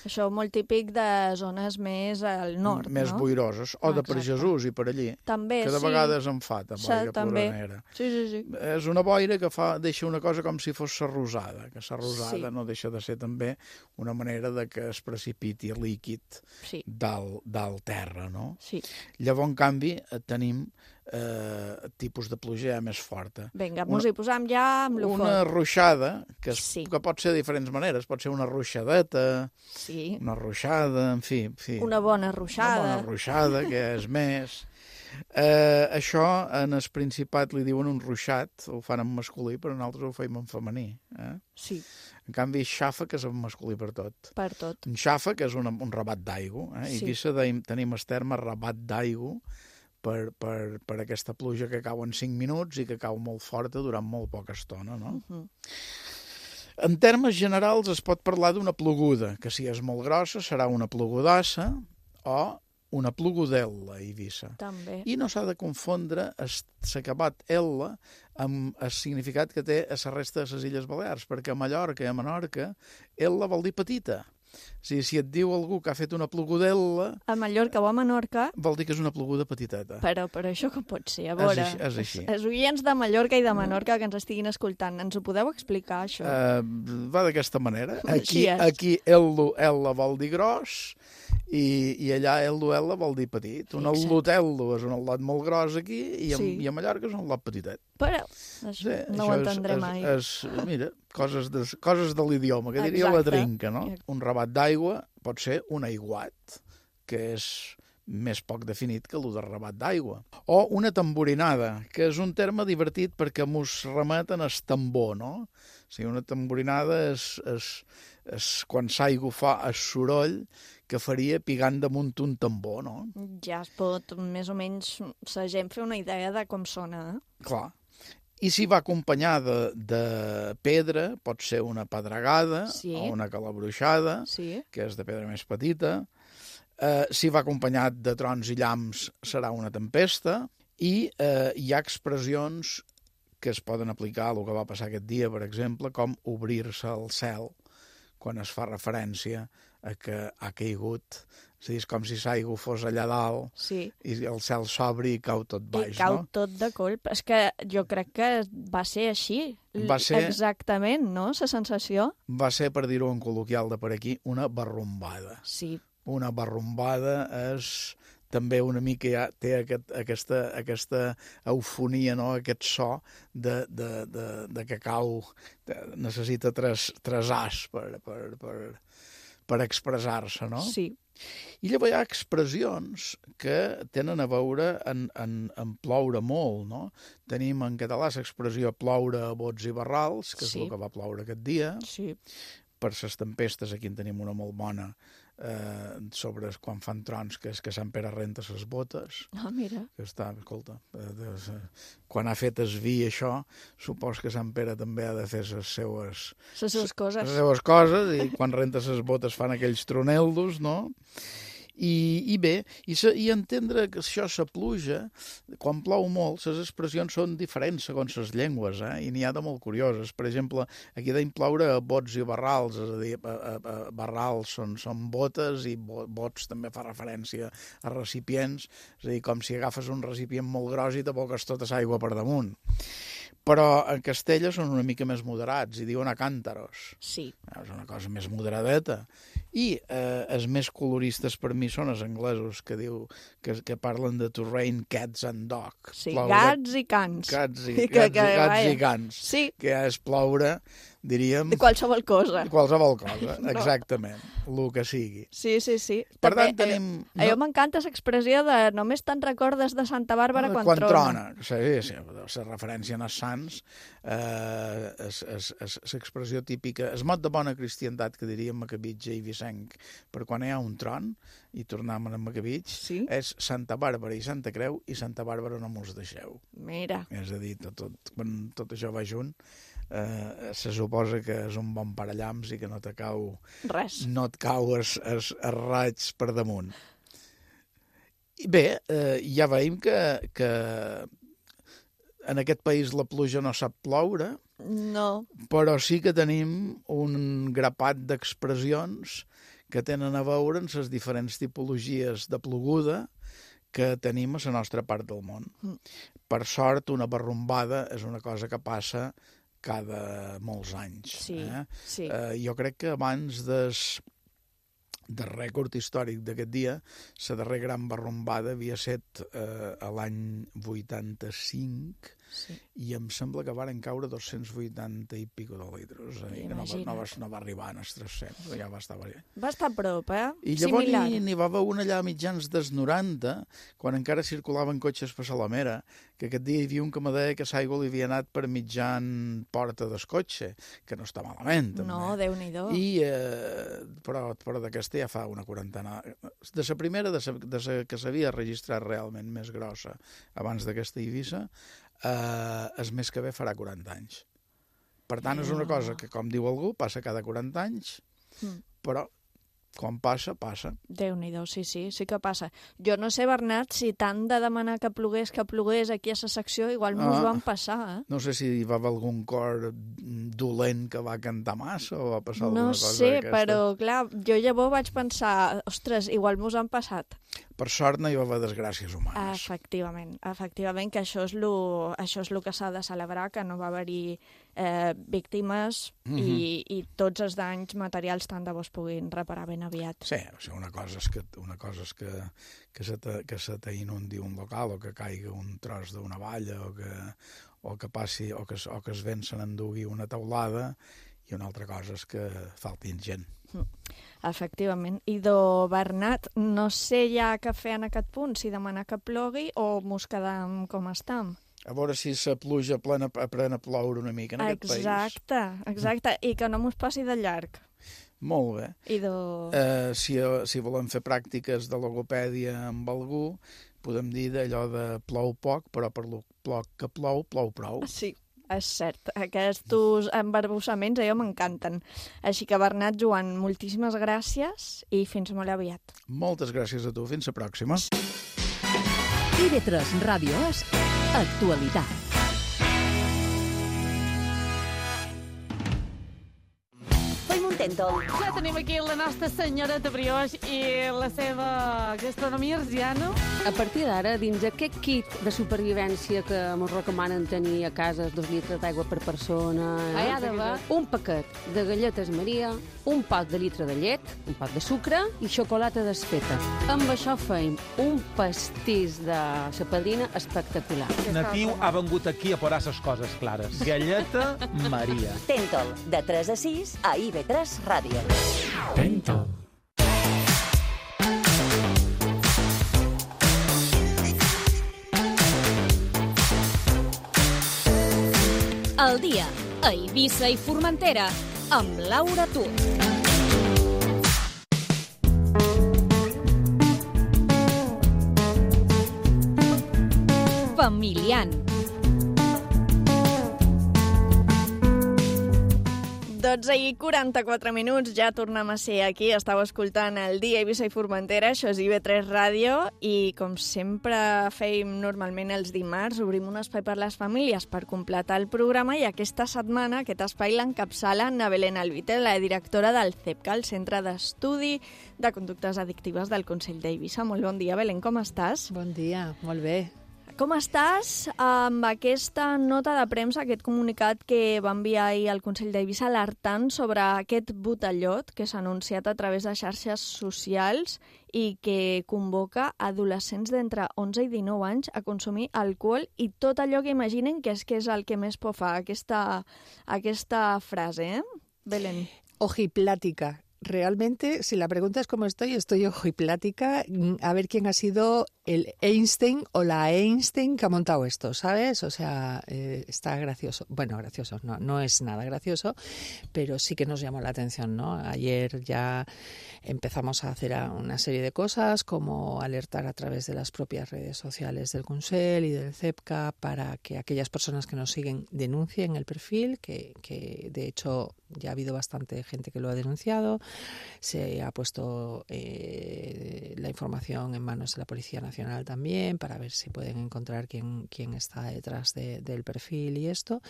Això molt típic de zones més al nord, Més no? boiroses, o de per Exacte. Jesús i per allí. També, que de sí. vegades en fa, de Sí, boira també. ploranera. Sí, sí, sí. És una boira que fa, deixa una cosa com si fos la rosada, que la rosada Sí. no deixa de ser també una manera de que es precipiti líquid Sí. dalt, dalt terra, no? Sí. Llavors, en canvi, eh, tenim eh, tipus de pluja ja més forta. Vinga, Una- mos hi posam ja amb lo Una fort. ruixada, que, es, Sí. que pot ser de diferents maneres, pot ser una ruixadeta, Sí. una ruixada, en fi. En fi. Una bona ruixada. Una bona ruixada, que és més. Eh, això en el Principat li diuen un ruixat, ho fan en masculí, però nosaltres ho feim en femení. Eh? Sí. En canvi, xafa, que és en masculí per tot. Per tot. Un xafa, que és una, un rabat d'aigua. Eh? Sí. I Eivissa deim, tenim el terme rabat d'aigua per, per, per aquesta pluja que cau en cinc minuts i que cau molt forta durant molt poca estona, no? Uh -huh. En termes generals es pot parlar d'una ploguda, que si és molt grossa serà una plogudassa o una plogudel·la a Eivissa. També. I no s'ha de confondre l'acabat L amb el significat que té a la resta de les Illes Balears, perquè a Mallorca i a Menorca L vol dir petita. O sigui, si et diu algú que ha fet una plogudel·la, A Mallorca o a Menorca, vol dir que és una ploguda petiteta. però, però això com pot ser? A És veure, així, és així. els- els oients de Mallorca i de Menorca que ens estiguin escoltant, ens ho podeu explicar, això? Uh, va d'aquesta manera. Aquí, Així és. aquí L, L vol dir gros i, i allà L, L vol dir petit. Un Fixa't. al·lot és un al·lot molt gros aquí i a, Sí. i a Mallorca és un al·lot petitet. Però això no ho això entendré és, mai. És, és, mira, coses de, coses de l'idioma, que diria Exacte. la trinca, no? Un rabat d'aigua pot ser un aiguat, que és més poc definit que el de rabat d'aigua. O una tamborinada, que és un terme divertit perquè mos remeten al tambor, no? O sigui, una tamborinada és, és, és quan l'aigua fa el soroll que faria pigant damunt un tambor, no? Ja es pot més o menys la gent fer una idea de com sona, eh? Clar. I si va acompanyada de pedra, pot ser una pedregada Sí. o una calabruixada, Sí. que és de pedra més petita. Eh, si va acompanyat de trons i llamps, serà una tempesta. I eh, hi ha expressions que es poden aplicar a el que va passar aquest dia, per exemple, com obrir-se al cel, quan es fa referència a que ha caigut És a dir, és com si l'aigua fos allà dalt sí. i el cel s'obre i cau tot baix, I cau no? tot de colp. És que jo crec que va ser així. Va ser... Exactament, no?, la sensació. Va ser, per dir-ho en col·loquial de per aquí, una barrumbada. Sí. Una barrumbada és... també una mica ja té aquest, aquesta, aquesta eufonia, no? Aquest so de, de, de, de que cau, de, necessita tres, tres as per, per, per, per expressar-se, no? Sí. I llavors hi ha expressions que tenen a veure en, en, en ploure molt, no? Tenim en català l'expressió ploure a bots i barrals, que és sí. el que va ploure aquest dia. Sí. Per les tempestes, aquí en tenim una molt bona, eh, sobre quan fan trons, que és que Sant Pere renta les botes. Ah, mira. Que està, escolta, eh, de, de, quan ha fet es vi això, supos que Sant Pere també ha de fer les seues... Les seues coses. Les seues coses, i quan renta les botes fan aquells troneldos, no? I, i bé, i, se, i entendre que això, la pluja, quan plou molt, les expressions són diferents segons les llengües, eh? I n'hi ha de molt curioses. Per exemple, aquí deim ploure a bots i barrals, és a dir, a, a, a barrals són, són botes i bo, bots també fa referència a recipients, és a dir, com si agafes un recipient molt gros i t'aboques tota l'aigua per damunt. Però en Castella són una mica més moderats i diuen a càntaros. Sí. És una cosa més moderadeta. I eh, els més coloristes per mi són els anglesos, que diu que, que parlen de to rain cats and dogs. Sí, ploure, gats i cans. Gats i, que, gats, que, i, gats vaja. i cans. Sí. Que és ploure, diríem... De qualsevol cosa. De qualsevol cosa, No. exactament. El que sigui. Sí, sí, sí. Per També, tant, tenim... Eh, a jo m'encanta l'expressió de només te'n recordes de Santa Bàrbara quan, quan trona. trona. Sí, sí, la referència als sants, eh, és, és, és l'expressió típica, el mot de bona cristiandat que diríem macabitge i vicenc, per quan hi ha un tron, i tornem a Macabitx, sí. és Santa Bàrbara i Santa Creu, i Santa Bàrbara no mos deixeu. Mira. És a dir, tot, tot, quan tot això va junt, eh, se suposa que és un bon parallamps i que no te cau... Res. No et cau es, es, es raig per damunt. I bé, eh, ja veiem que, que en aquest país la pluja no sap ploure, No. però sí que tenim un grapat d'expressions que tenen a veure amb les diferents tipologies de ploguda que tenim a la nostra part del món. Mm. Per sort, una barrumbada és una cosa que passa cada molts anys. Sí, eh? sí. Eh, jo crec que abans des, del rècord històric d'aquest dia, la darrera gran barrumbada havia set eh, a l'any vuitanta-cinc, sí. I em sembla que varen caure dos-cents vuitanta i pico de litres. Eh? Que no va, no, va, no va arribar als tres-cents, ja va estar bé. Va estar a prop, eh? I llavors Similar. n'hi va haver una allà a mitjans dels noranta, quan encara circulaven cotxes per Salamera, que aquest dia hi havia un que me deia que l'aigua li havia anat per mitjan porta del cotxe, que no està malament, també. No, Déu-n'hi-do. I, eh, però, però d'aquesta ja fa una quarantena. De la primera, de sa, de sa que s'havia registrat realment més grossa abans d'aquesta Eivissa, eh, és més que bé farà quaranta anys. Per tant, és una cosa que, com diu algú, passa cada quaranta anys, Mm. però quan passa, passa. Déu-n'hi-do, sí, sí, sí que passa. Jo no sé, Bernat, si tant de demanar que plogués, que plogués aquí a la secció, igual mos Ah. van passar, eh? No sé si hi va haver algun cor dolent que va cantar massa o va passar alguna No cosa sé, d'aquesta. però, clar, jo llavors vaig pensar, ostres, igual mos han passat. Per sort no hi va haver desgràcies humanes. Efectivament, efectivament, que això és lo, això és lo que s'ha de celebrar, que no va haver-hi eh, víctimes Mhm. i, i tots els danys materials tant de bo es puguin reparar ben aviat. Sí, o sigui, una cosa és que, una cosa és que, que, se te, que se t'inundi un local o que caigui un tros d'una valla o que, o que passi o que, o que es vent se n'endugui una teulada, i una altra cosa és que faltin gent. Efectivament. I do, Bernat, no sé ja què fer en aquest punt, si demanar que plogui o mos quedam com estam. A veure si la pluja plena, pren a ploure una mica en aquest país. Exacte, exacte, i que no mos passi de llarg. Molt bé. I do... Eh, si, si volem fer pràctiques de logopèdia amb algú, podem dir d'allò de plou poc, però per lo poc que plou, plou prou. Sí, és cert. Aquests embarbussaments a jo m'encanten. Així que, Bernat, Joan, moltíssimes gràcies i fins molt aviat. Moltes gràcies a tu. Fins la pròxima. I V tres Ràdio és actualitat. Tentol. Ja tenim aquí la nostra senyoreta brioix i la seva gastronomia arsiana. A partir d'ara, dins aquest kit de supervivència que ens recomanen tenir a casa, dos litres d'aigua per persona, eh? Ah, ja de va. Un paquet de galletes Maria, un pot de litre de llet, un pot de sucre i xocolata desfeta. Amb això feim un pastís de la padrina espectacular. Natiu ha vengut aquí a posar les coses clares. Galleta Maria. Tentol, de tres a sis a I V tres Ràdio. Tentol. El dia a Eivissa i Formentera amb Laura Tur. Familiant. dotze i quaranta-quatre minuts, ja tornem a ser aquí. Estàu escoltant el dia a Eivissa i Formentera, això és I V tres Ràdio, i com sempre fèiem normalment els dimarts, obrim un espai per les famílies per completar el programa, i aquesta setmana aquest espai l'encapçala Ana Belén Albite, la directora del CEPCA, el Centre d'Estudi de Conductes Addictives del Consell d'Eivissa. Molt bon dia, Belén, com estàs? Bon dia, molt bé. Com estàs amb aquesta nota de premsa, aquest comunicat que va enviar ahir al Consell d'Eivissa alertant sobre aquest botellot que s'ha anunciat a través de xarxes socials i que convoca adolescents d'entre onze i dinou anys a consumir alcohol i tot allò que imaginen que és que és el que més por fa, aquesta, aquesta frase, eh, Belén? Ojiplática. Realmente, si la pregunta es cómo estoy, estoy ojiplática. A ver quién ha sido el Einstein o la Einstein que ha montado esto, ¿sabes? O sea, eh, está gracioso. Bueno, gracioso, no, no es nada gracioso, pero sí que nos llamó la atención, ¿no? Ayer ya empezamos a hacer una serie de cosas, como alertar a través de las propias redes sociales del Consell y del CEPCA para que aquellas personas que nos siguen denuncien el perfil, que, que de hecho ya ha habido bastante gente que lo ha denunciado. Se ha puesto eh, la información en manos de la Policía Nacional también para ver si pueden encontrar quién, quién está detrás de, del perfil y esto.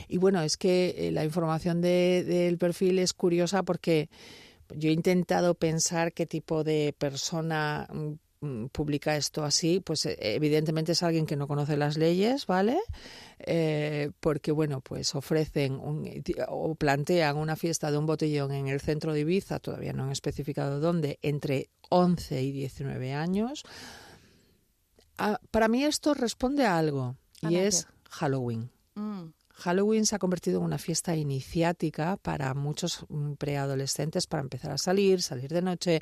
Y bueno, es que eh, la información de, del perfil es curiosa porque yo he intentado pensar qué tipo de persona publica esto así, pues evidentemente es alguien que no conoce las leyes, ¿vale? Eh, porque, bueno, pues ofrecen un, o plantean una fiesta de un botellón en el centro de Ibiza, todavía no han especificado dónde, entre once y diecinueve años. Ah, para mí esto responde a algo, y es Halloween. Mm. Halloween se ha convertido en una fiesta iniciática para muchos preadolescentes para empezar a salir, salir de noche,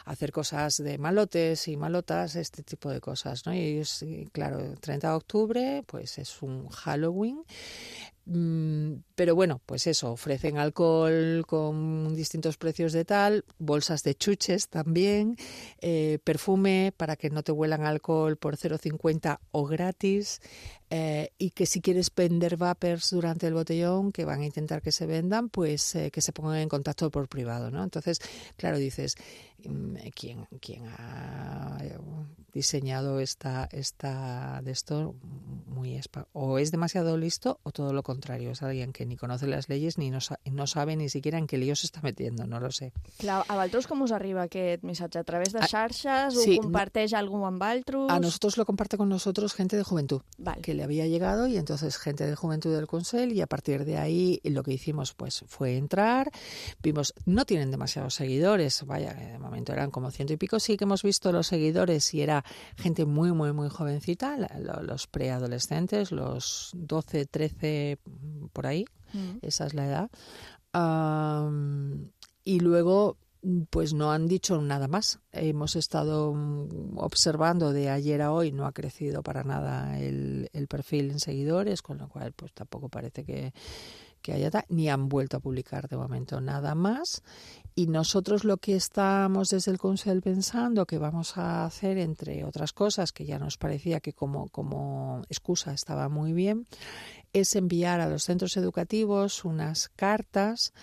hacer cosas de malotes y malotas, este tipo de cosas, ¿no? Y es, claro, treinta de octubre, pues es un Halloween. Pero bueno, pues eso, ofrecen alcohol con distintos precios de tal, bolsas de chuches también, eh, perfume para que no te huelan alcohol por cero coma cincuenta o gratis, eh, y que si quieres vender vapers durante el botellón, que van a intentar que se vendan, pues eh, que se pongan en contacto por privado, ¿no? Entonces, claro, dices, ¿quién, quién ha diseñado esta, esta de esto? Muy espa- o es demasiado listo o todo lo contrario, és alguien que ni conoce les leyes ni no, sa- no sabe ni siquiera en qué lío se está metiendo, no lo sé. Clar, a vosaltres com us arriba aquest missatge? A través de xarxes? Sí, ¿Ho comparteix no, algú amb altres? A nosotros lo comparte con nosotros gente de juventud, vale, que le había llegado, y entonces gente de juventud del Consell, y a partir de ahí lo que hicimos pues fue entrar, vimos, no tienen demasiados seguidores, vaya, de momento eran como ciento y pico, sí que hemos visto los seguidores y era gente muy, muy, muy jovencita, la, los preadolescentes, los doce, trece, por ahí, mm. esa es la edad. Um, y luego, pues no han dicho nada más. Hemos estado observando de ayer a hoy, no ha crecido para nada el, el perfil en seguidores, con lo cual pues tampoco parece que, que haya ta- ni han vuelto a publicar de momento nada más. Y nosotros lo que estamos desde el Consell pensando que vamos a hacer, entre otras cosas, que ya nos parecía que como, como excusa estaba muy bien, es enviar a los centros educativos unas cartas,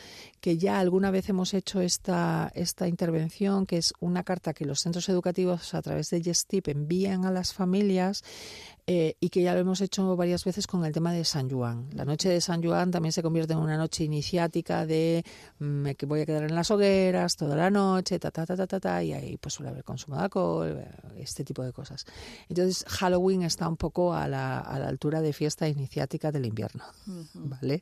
que ya alguna vez hemos hecho esta, esta intervención, que es una carta que los centros educativos a través de Gestip envían a las familias, eh, y que ya lo hemos hecho varias veces con el tema de San Juan. La noche de San Juan también se convierte en una noche iniciática de me que voy a quedar en las hogueras toda la noche, ta, ta, ta, ta, ta, ta, y ahí pues suele haber consumo de alcohol, este tipo de cosas. Entonces Halloween está un poco a la, a la altura de fiesta iniciática del invierno, uh-huh. ¿vale?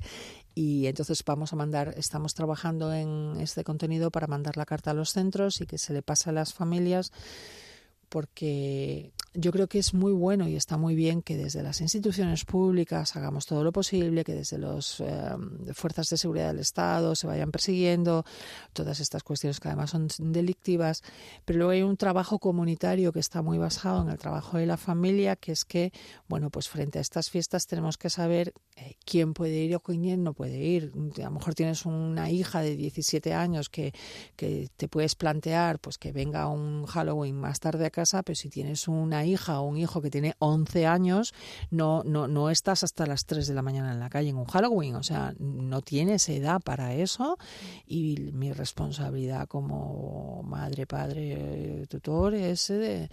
Y entonces vamos a mandar, estamos trabajando en este contenido para mandar la carta a los centros y que se le pase a las familias, porque yo creo que es muy bueno y está muy bien que desde las instituciones públicas hagamos todo lo posible, que desde las eh, fuerzas de seguridad del Estado se vayan persiguiendo todas estas cuestiones que además son delictivas, pero luego hay un trabajo comunitario que está muy basado en el trabajo de la familia, que es que, bueno, pues frente a estas fiestas tenemos que saber eh, quién puede ir o quién no puede ir. A lo mejor tienes una hija de diecisiete años que, que te puedes plantear pues que venga un Halloween más tarde a casa, pero si tienes una hija o un hijo que tiene once años, no, no, no estás hasta las tres de la mañana en la calle en un Halloween, o sea, no tienes edad para eso, y mi responsabilidad como madre, padre, tutor es de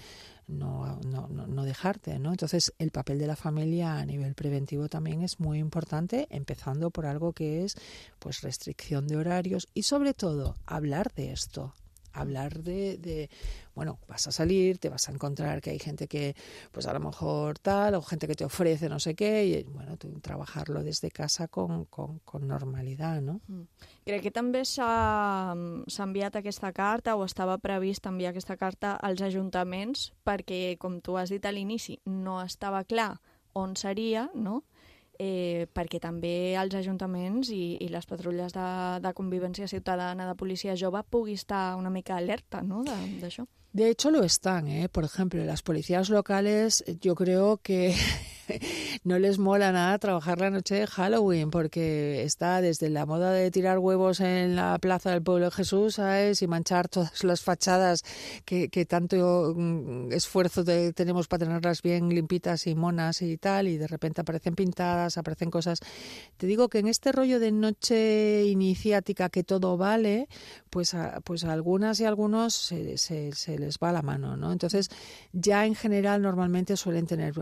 no, no, no, no dejarte, ¿no? Entonces, el papel de la familia a nivel preventivo también es muy importante, empezando por algo que es pues restricción de horarios y sobre todo hablar de esto. Hablar de, de, bueno, vas a salir, te vas a encontrar que hay gente que, pues a lo mejor tal, o gente que te ofrece no sé qué, y bueno, tú trabajarlo desde casa con, con, con normalidad, no? Crec que també s'ha enviat aquesta carta, o estava previst enviar aquesta carta als ajuntaments, perquè, com tu has dit a l'inici, no estava clar on seria, no?, Eh, perquè també els ajuntaments i, i les patrulles de, de convivència ciutadana, de policia jove, pugui estar una mica alerta, ¿no?, d'això. De hecho lo están, ¿eh? Por ejemplo, las policías locales yo creo que no les mola nada trabajar la noche de Halloween, porque está desde la moda de tirar huevos en la plaza del Pueblo de Jesús, ¿sabes?, y manchar todas las fachadas que, que tanto esfuerzo de, tenemos para tenerlas bien limpitas y monas y tal, y de repente aparecen pintadas, aparecen cosas. Te digo que en este rollo de noche iniciática que todo vale, pues a, pues a algunas y algunos se, se, se les va la mano, ¿no? Entonces, ya en general normalmente suelen tener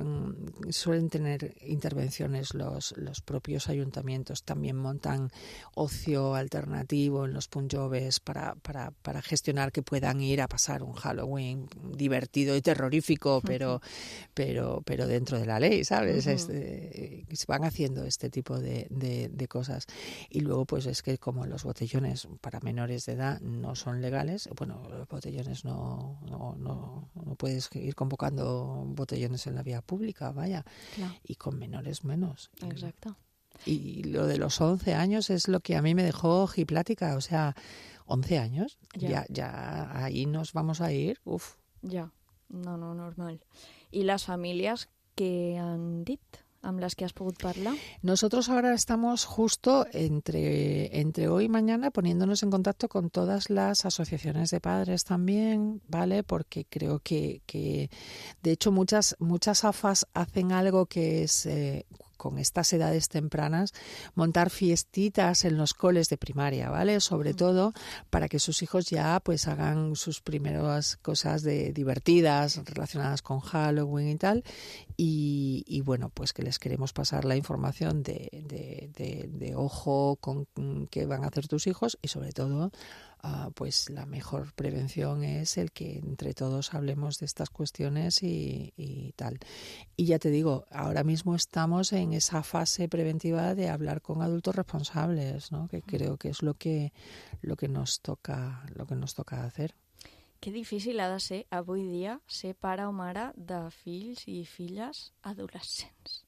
suelen tener intervenciones los, los propios ayuntamientos. También montan ocio alternativo en los punjobes para, para, para gestionar que puedan ir a pasar un Halloween divertido y terrorífico, pero, uh-huh. pero, pero dentro de la ley, ¿sabes? Uh-huh. Este, se van haciendo este tipo de, de, de cosas. Y luego, pues es que como los botellones para menores de edad no son legales, bueno, los botellones no No, no, no puedes ir convocando botellones en la vía pública, vaya, claro. Y con menores menos. Exacto. Y, y lo de los once años es lo que a mí me dejó ojiplática, o sea, once años, ya, ya, ya ahí nos vamos a ir, uf. Ja, no, no, normal. I les famílies què han dit? ¿Amb las que has podido hablar? Nosotros ahora estamos justo entre, entre hoy y mañana poniéndonos en contacto con todas las asociaciones de padres también, ¿vale? Porque creo que, que de hecho muchas, muchas A F As hacen algo que es... Eh, con estas edades tempranas, montar fiestitas en los coles de primaria, ¿vale? Sobre todo para que sus hijos ya pues hagan sus primeras cosas de divertidas relacionadas con Halloween y tal, y, y bueno, pues que les queremos pasar la información de, de, de, de ojo con qué van a hacer tus hijos, y sobre todo Uh, pues la mejor prevención es el que entre todos hablemos de estas cuestiones y, y tal. Y ya te digo, ahora mismo estamos en esa fase preventiva de hablar con adultos responsables, ¿no? Que creo que es lo que lo que nos toca lo que nos toca hacer. Que difícil ha de ser avui dia ser pare o mare de fills i filles adolescents.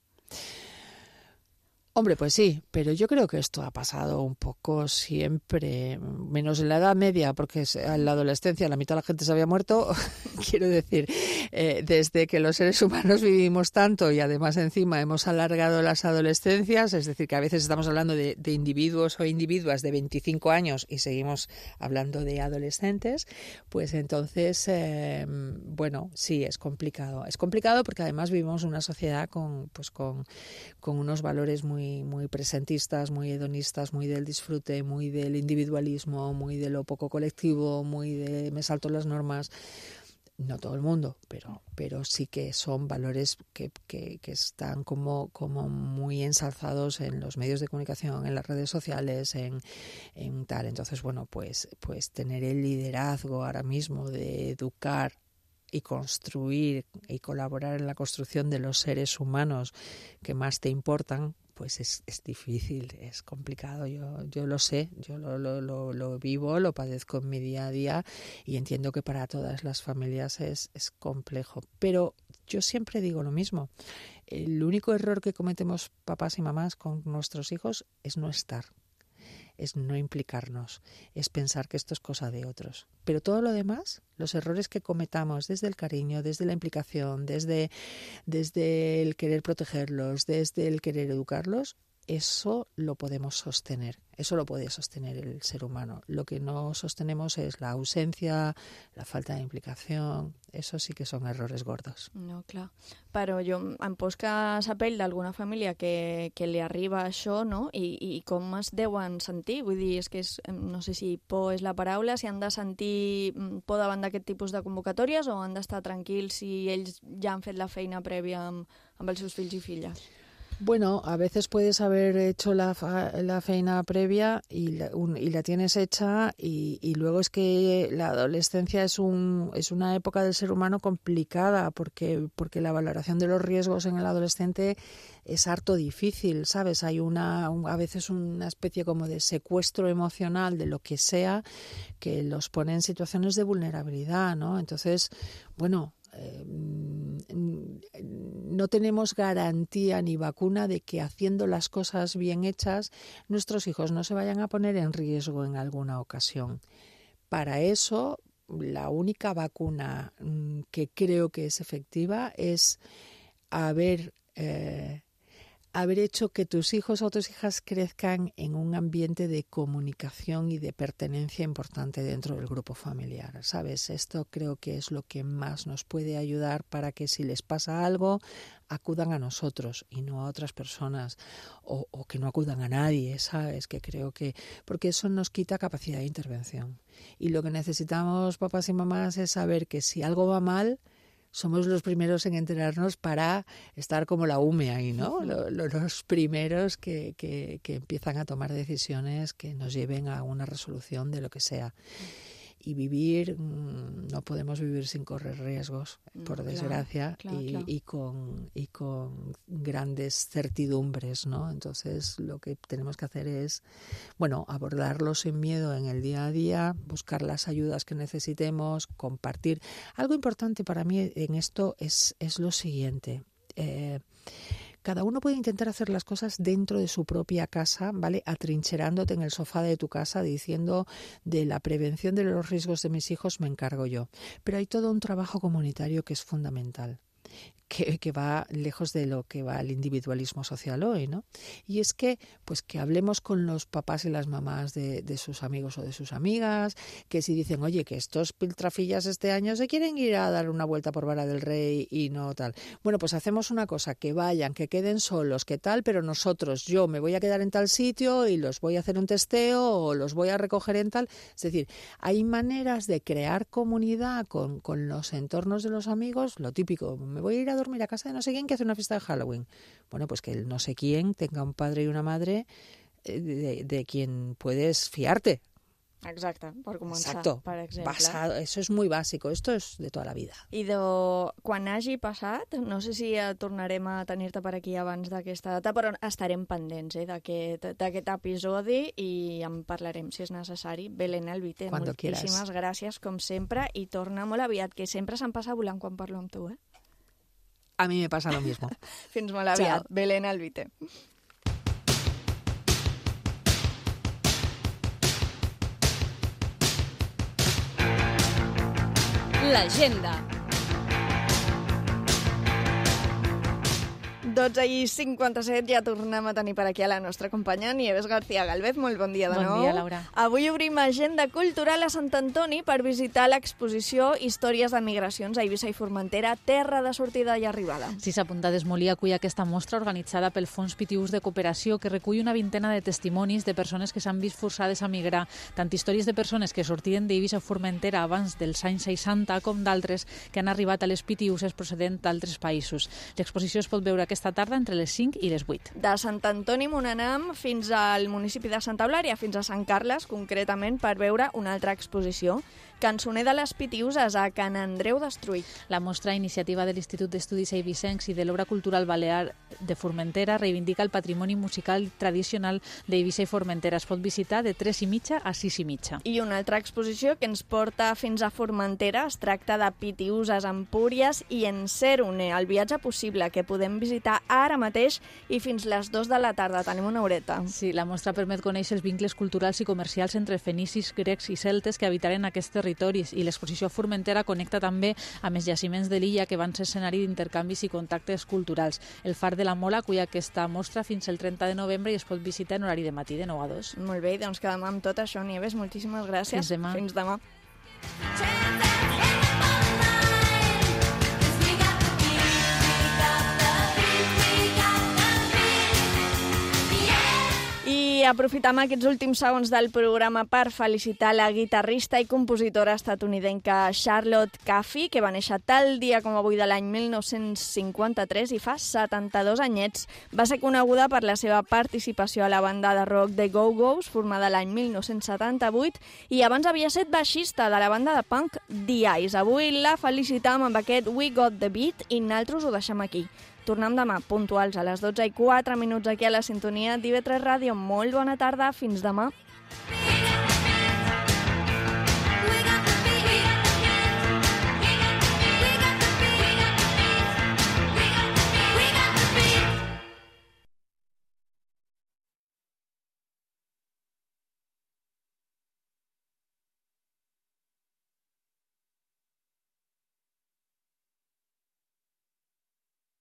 Hombre, pues sí, pero yo creo que esto ha pasado un poco siempre, menos en la Edad Media, porque en la adolescencia la mitad de la gente se había muerto. Quiero decir, eh, desde que los seres humanos vivimos tanto y además encima hemos alargado las adolescencias, es decir, que a veces estamos hablando de, de individuos o individuas de veinticinco años y seguimos hablando de adolescentes, pues entonces, eh, bueno, sí, es complicado. Es complicado porque además vivimos una sociedad con, pues con, con unos valores muy muy presentistas, muy hedonistas, muy del disfrute, muy del individualismo, muy de lo poco colectivo, muy de me salto las normas. no todo el mundo, pero, pero sí que son valores que, que, que están como, como muy ensalzados en los medios de comunicación, en las redes sociales, en, en tal. Entonces, bueno, pues, pues tener el liderazgo ahora mismo de educar y construir y colaborar en la construcción de los seres humanos que más te importan, pues es, es difícil, es complicado. Yo, yo lo sé, yo lo, lo, lo, lo vivo, lo padezco en mi día a día y entiendo que para todas las familias es, es complejo. Pero yo siempre digo lo mismo. El único error que cometemos papás y mamás con nuestros hijos es no estar. Es no implicarnos, es pensar que esto es cosa de otros. Pero todo lo demás, los errores que cometamos desde el cariño, desde la implicación, desde, desde el querer protegerlos, desde el querer educarlos, eso lo podemos sostener, eso lo puede sostener el ser humano. Lo que no sostenemos es la ausencia, la falta de implicación, eso sí que son errores gordos. No, clar. Però jo em posca la pell d'alguna família que, que li arriba això, no? I, I com es deuen sentir? Vull dir, és que és, no sé si por és la paraula, si han de sentir por davant d'aquest tipus de convocatòries o han d'estar tranquils si ells ja han fet la feina prèvia amb, amb els seus fills i filles. Bueno, a veces puedes haber hecho la, la feina previa y la, un, y la tienes hecha y, y luego es que la adolescencia es un es una época del ser humano complicada porque porque la valoración de los riesgos en el adolescente es harto difícil, ¿sabes? Hay una un, a veces una especie como de secuestro emocional de lo que sea que los pone en situaciones de vulnerabilidad, ¿no? Entonces, bueno, Eh, no tenemos garantía ni vacuna de que haciendo las cosas bien hechas nuestros hijos no se vayan a poner en riesgo en alguna ocasión. Para eso, la única vacuna que creo que es efectiva es haber eh, haber hecho que tus hijos o tus hijas crezcan en un ambiente de comunicación y de pertenencia importante dentro del grupo familiar, ¿sabes? Esto creo que es lo que más nos puede ayudar para que si les pasa algo, acudan a nosotros y no a otras personas, o, o que no acudan a nadie, ¿sabes? Que creo que... porque eso nos quita capacidad de intervención. Y lo que necesitamos, papás y mamás, es saber que si algo va mal, somos los primeros en enterarnos para estar como la U M E ahí, ¿no? Los primeros que, que, que empiezan a tomar decisiones que nos lleven a una resolución de lo que sea. Y vivir, no podemos vivir sin correr riesgos, por desgracia, claro, claro, y, claro. y con y con grandes certidumbres, ¿no? Entonces lo que tenemos que hacer es, bueno, abordarlo sin miedo en el día a día, buscar las ayudas que necesitemos, compartir. Algo importante para mí en esto es, es lo siguiente. Eh, Cada uno puede intentar hacer las cosas dentro de su propia casa, ¿vale? Atrincherándote en el sofá de tu casa diciendo de la prevención de los riesgos de mis hijos me encargo yo. Pero hay todo un trabajo comunitario que es fundamental. Que, que va lejos de lo que va el individualismo social hoy, ¿no? Y es que, pues que hablemos con los papás y las mamás de, de sus amigos o de sus amigas, que si dicen, oye, que estos piltrafillas este año se quieren ir a dar una vuelta por Vara del Rey y no tal. Bueno, pues hacemos una cosa, que vayan, que queden solos, que tal, pero nosotros, yo me voy a quedar en tal sitio y los voy a hacer un testeo o los voy a recoger en tal. Es decir, hay maneras de crear comunidad con, con los entornos de los amigos, lo típico, me voy a ir a dormir a casa de no sé quién que hace una fiesta de Halloween. Bueno, pues que el no sé quién tenga un padre y una madre de, de quien puedes fiarte. Exacte, per començar, Exacto. per exemple. Basado, eso es muy básico, esto es de toda la vida. I de quan hagi passat, no sé si tornarem a tenir-te per aquí abans d'aquesta data, però estarem pendents eh, d'aquest episodi i en parlarem si és necessari. Belén Alvite, Cuando moltíssimes quieras. gràcies, com sempre, i torna molt aviat, que sempre se'm passa volant quan parlo amb tu, eh? A mí me pasa lo mismo. Fins molt aviat. Chao. Belén Alvite. L'agenda. dotze i cinquanta-set ja tornem a tenir per aquí a la nostra companya Nieves García Galvez. Molt bon dia de bon nou. Bon dia, Laura. Avui obrim agenda cultural a Sant Antoni per visitar l'exposició Històries de migracions a Eivissa i Formentera, terra de sortida i arribada. Sí, s'apunta d'Esmolí acull aquesta mostra organitzada pel Fons Pitiús de Cooperació que recull una vintena de testimonis de persones que s'han vist forçades a migrar, tant històries de persones que sortien d'Eivissa i Formentera abans dels anys seixanta com d'altres que han arribat a les Pitiuses procedent d'altres països. L'exposició es pot veure aquesta tarda entre les cinc i les vuit. De Sant Antoni Monanam fins al municipi de Santa Eulària, fins a Sant Carles, concretament, per veure una altra exposició. Cançoner de les Pitiuses a Can Andreu Destruït. La mostra, iniciativa de l'Institut d'Estudis Eivissencs i de l'Obra Cultural Balear de Formentera, reivindica el patrimoni musical tradicional d'Eivissa i Formentera. Es pot visitar de tres i mitja a sis i mitja. I una altra exposició que ens porta fins a Formentera es tracta de Pitiuses, Empúries i Encérone, el viatge possible que podem visitar ara mateix i fins les dues de la tarda. Tenim una horeta. Sí, la mostra permet conèixer els vincles culturals i comercials entre fenicis, grecs i celtes que habitaren aquest territori i l'exposició a Formentera connecta també amb els jaciments de l'illa que van ser escenari d'intercanvis i contactes culturals. El Far de la Mola acull aquesta mostra fins el trenta de novembre i es pot visitar en horari de matí de nou a dos. Molt bé, doncs quedem amb tot això, Nieves. Moltíssimes gràcies. Fins demà. Fins demà. I aprofitam aquests últims segons del programa per felicitar la guitarrista i compositora estatunidenca Charlotte Caffey, que va néixer tal dia com avui de l'any mil nou-cents cinquanta-tres i fa setanta-dos anyets. Va ser coneguda per la seva participació a la banda de rock The Go-Go's, formada l'any mil nou-cents setanta-vuit, i abans havia estat baixista de la banda de punk The Eyes. Avui la felicitam amb aquest We Got The Beat i nosaltres ho deixem aquí. Tornem demà, puntuals a les dotze i quatre minuts aquí a la sintonia d'I V tres Ràdio. Molt bona tarda, fins demà.